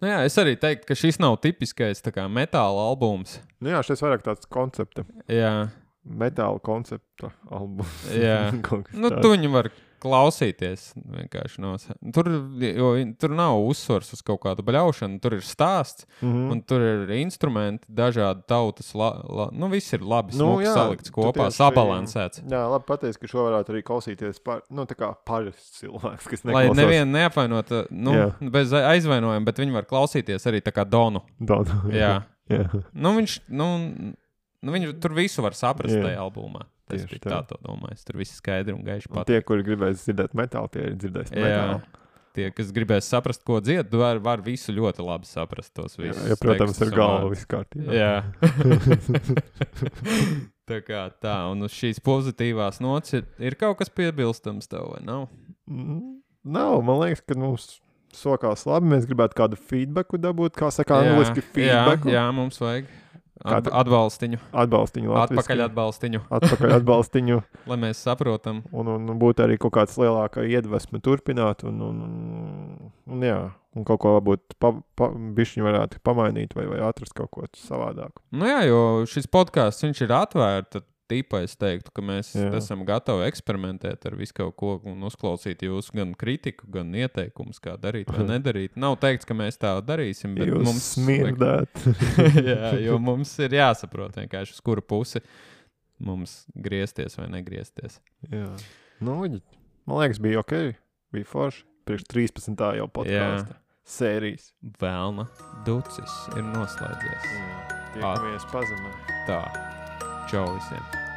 S2: Nu jā, es arī teiktu, ka šis nav tipiskais tā kā metāla albums.
S3: Nu jā, šis vairāk tāds koncepta.
S2: Jā.
S3: Metāla koncepta albums.
S2: Jā. Nu, tu viņu var klausīties vienkārši no... Tur, jo, tur nav uzsvars uz kaut kādu bļaušanu, tur ir stāsts,
S3: mm-hmm.
S2: un tur ir instrumenti, dažādi tautas, la, la, nu, viss ir labi
S3: nu,
S2: smuki
S3: jā,
S2: salikts kopā,
S3: tieši,
S2: sabalansēts.
S3: Jā, labi pateicis, ka šo varētu arī klausīties par, nu, tā kā parasts cilvēks, kas
S2: neklausās. Lai nevienu neapvainot, nu,
S3: jā.
S2: bez aizvainojuma, bet viņi var klausīties arī tā kā Donu.
S3: Donu,
S2: jā.
S3: jā.
S2: Nu, viņš, nu, nu, viņš tur visu var saprast jā. Tajā albumā. Es biju tā to domājis. Tur viss skaidri un gaiši patīk.
S3: Tie, kuri gribēs dzirdēt metālu, tie ir dzirdēs metālu.
S2: Tie, kas gribēs saprast, ko dzied, var, var visu ļoti labi saprast tos visus.
S3: Jā, ja, protams, ar galvu viss kārtībā.
S2: Jā. Tā kā tā. Un uz šīs pozitīvās nots ir, ir kaut kas piebilstams tev, vai nav?
S3: Mm, nav. Man liekas, ka mums sokās labi. Mēs gribētu kādu feedbacku dabūt, kā saka angliski feedbacku.
S2: Jā, jā, mums vajag. At, atbalstiņu.
S3: Atbalstiņu. Latviski.
S2: Atpakaļ atbalstiņu.
S3: Atpakaļ atbalstiņu.
S2: Lai mēs saprotam.
S3: Un, un, un būtu arī kaut kāds lielākā iedvesme turpināt. Un, un, un, un jā, un kaut ko varbūt pa, pa, bišķiņu varētu pamainīt vai, vai atrast kaut ko savādāku.
S2: Nu jā, jo šis podcasts, viņš ir atvērts. Tīpā es teiktu, ka mēs jā. Esam gatavi eksperimentēt ar visu kaut ko un uzklausīt jūsu gan kritiku, gan ieteikumus, kā darīt vai nedarīt. Nav teikts, ka mēs tā darīsim, bet
S3: jūs
S2: mums...
S3: smirdēt.
S2: Jā, jo mums ir jāsaprot vienkārši, uz kuru pusi mums griezties vai negriezties.
S3: Jā. Nu, man liekas, bija ok, bija forši. Priekš trīspadsmitā jau podkāsta sērijas.
S2: Velna ducis ir noslēdzies.
S3: Jā. Tiekamies pazemē.
S2: Tā. Čau visiem!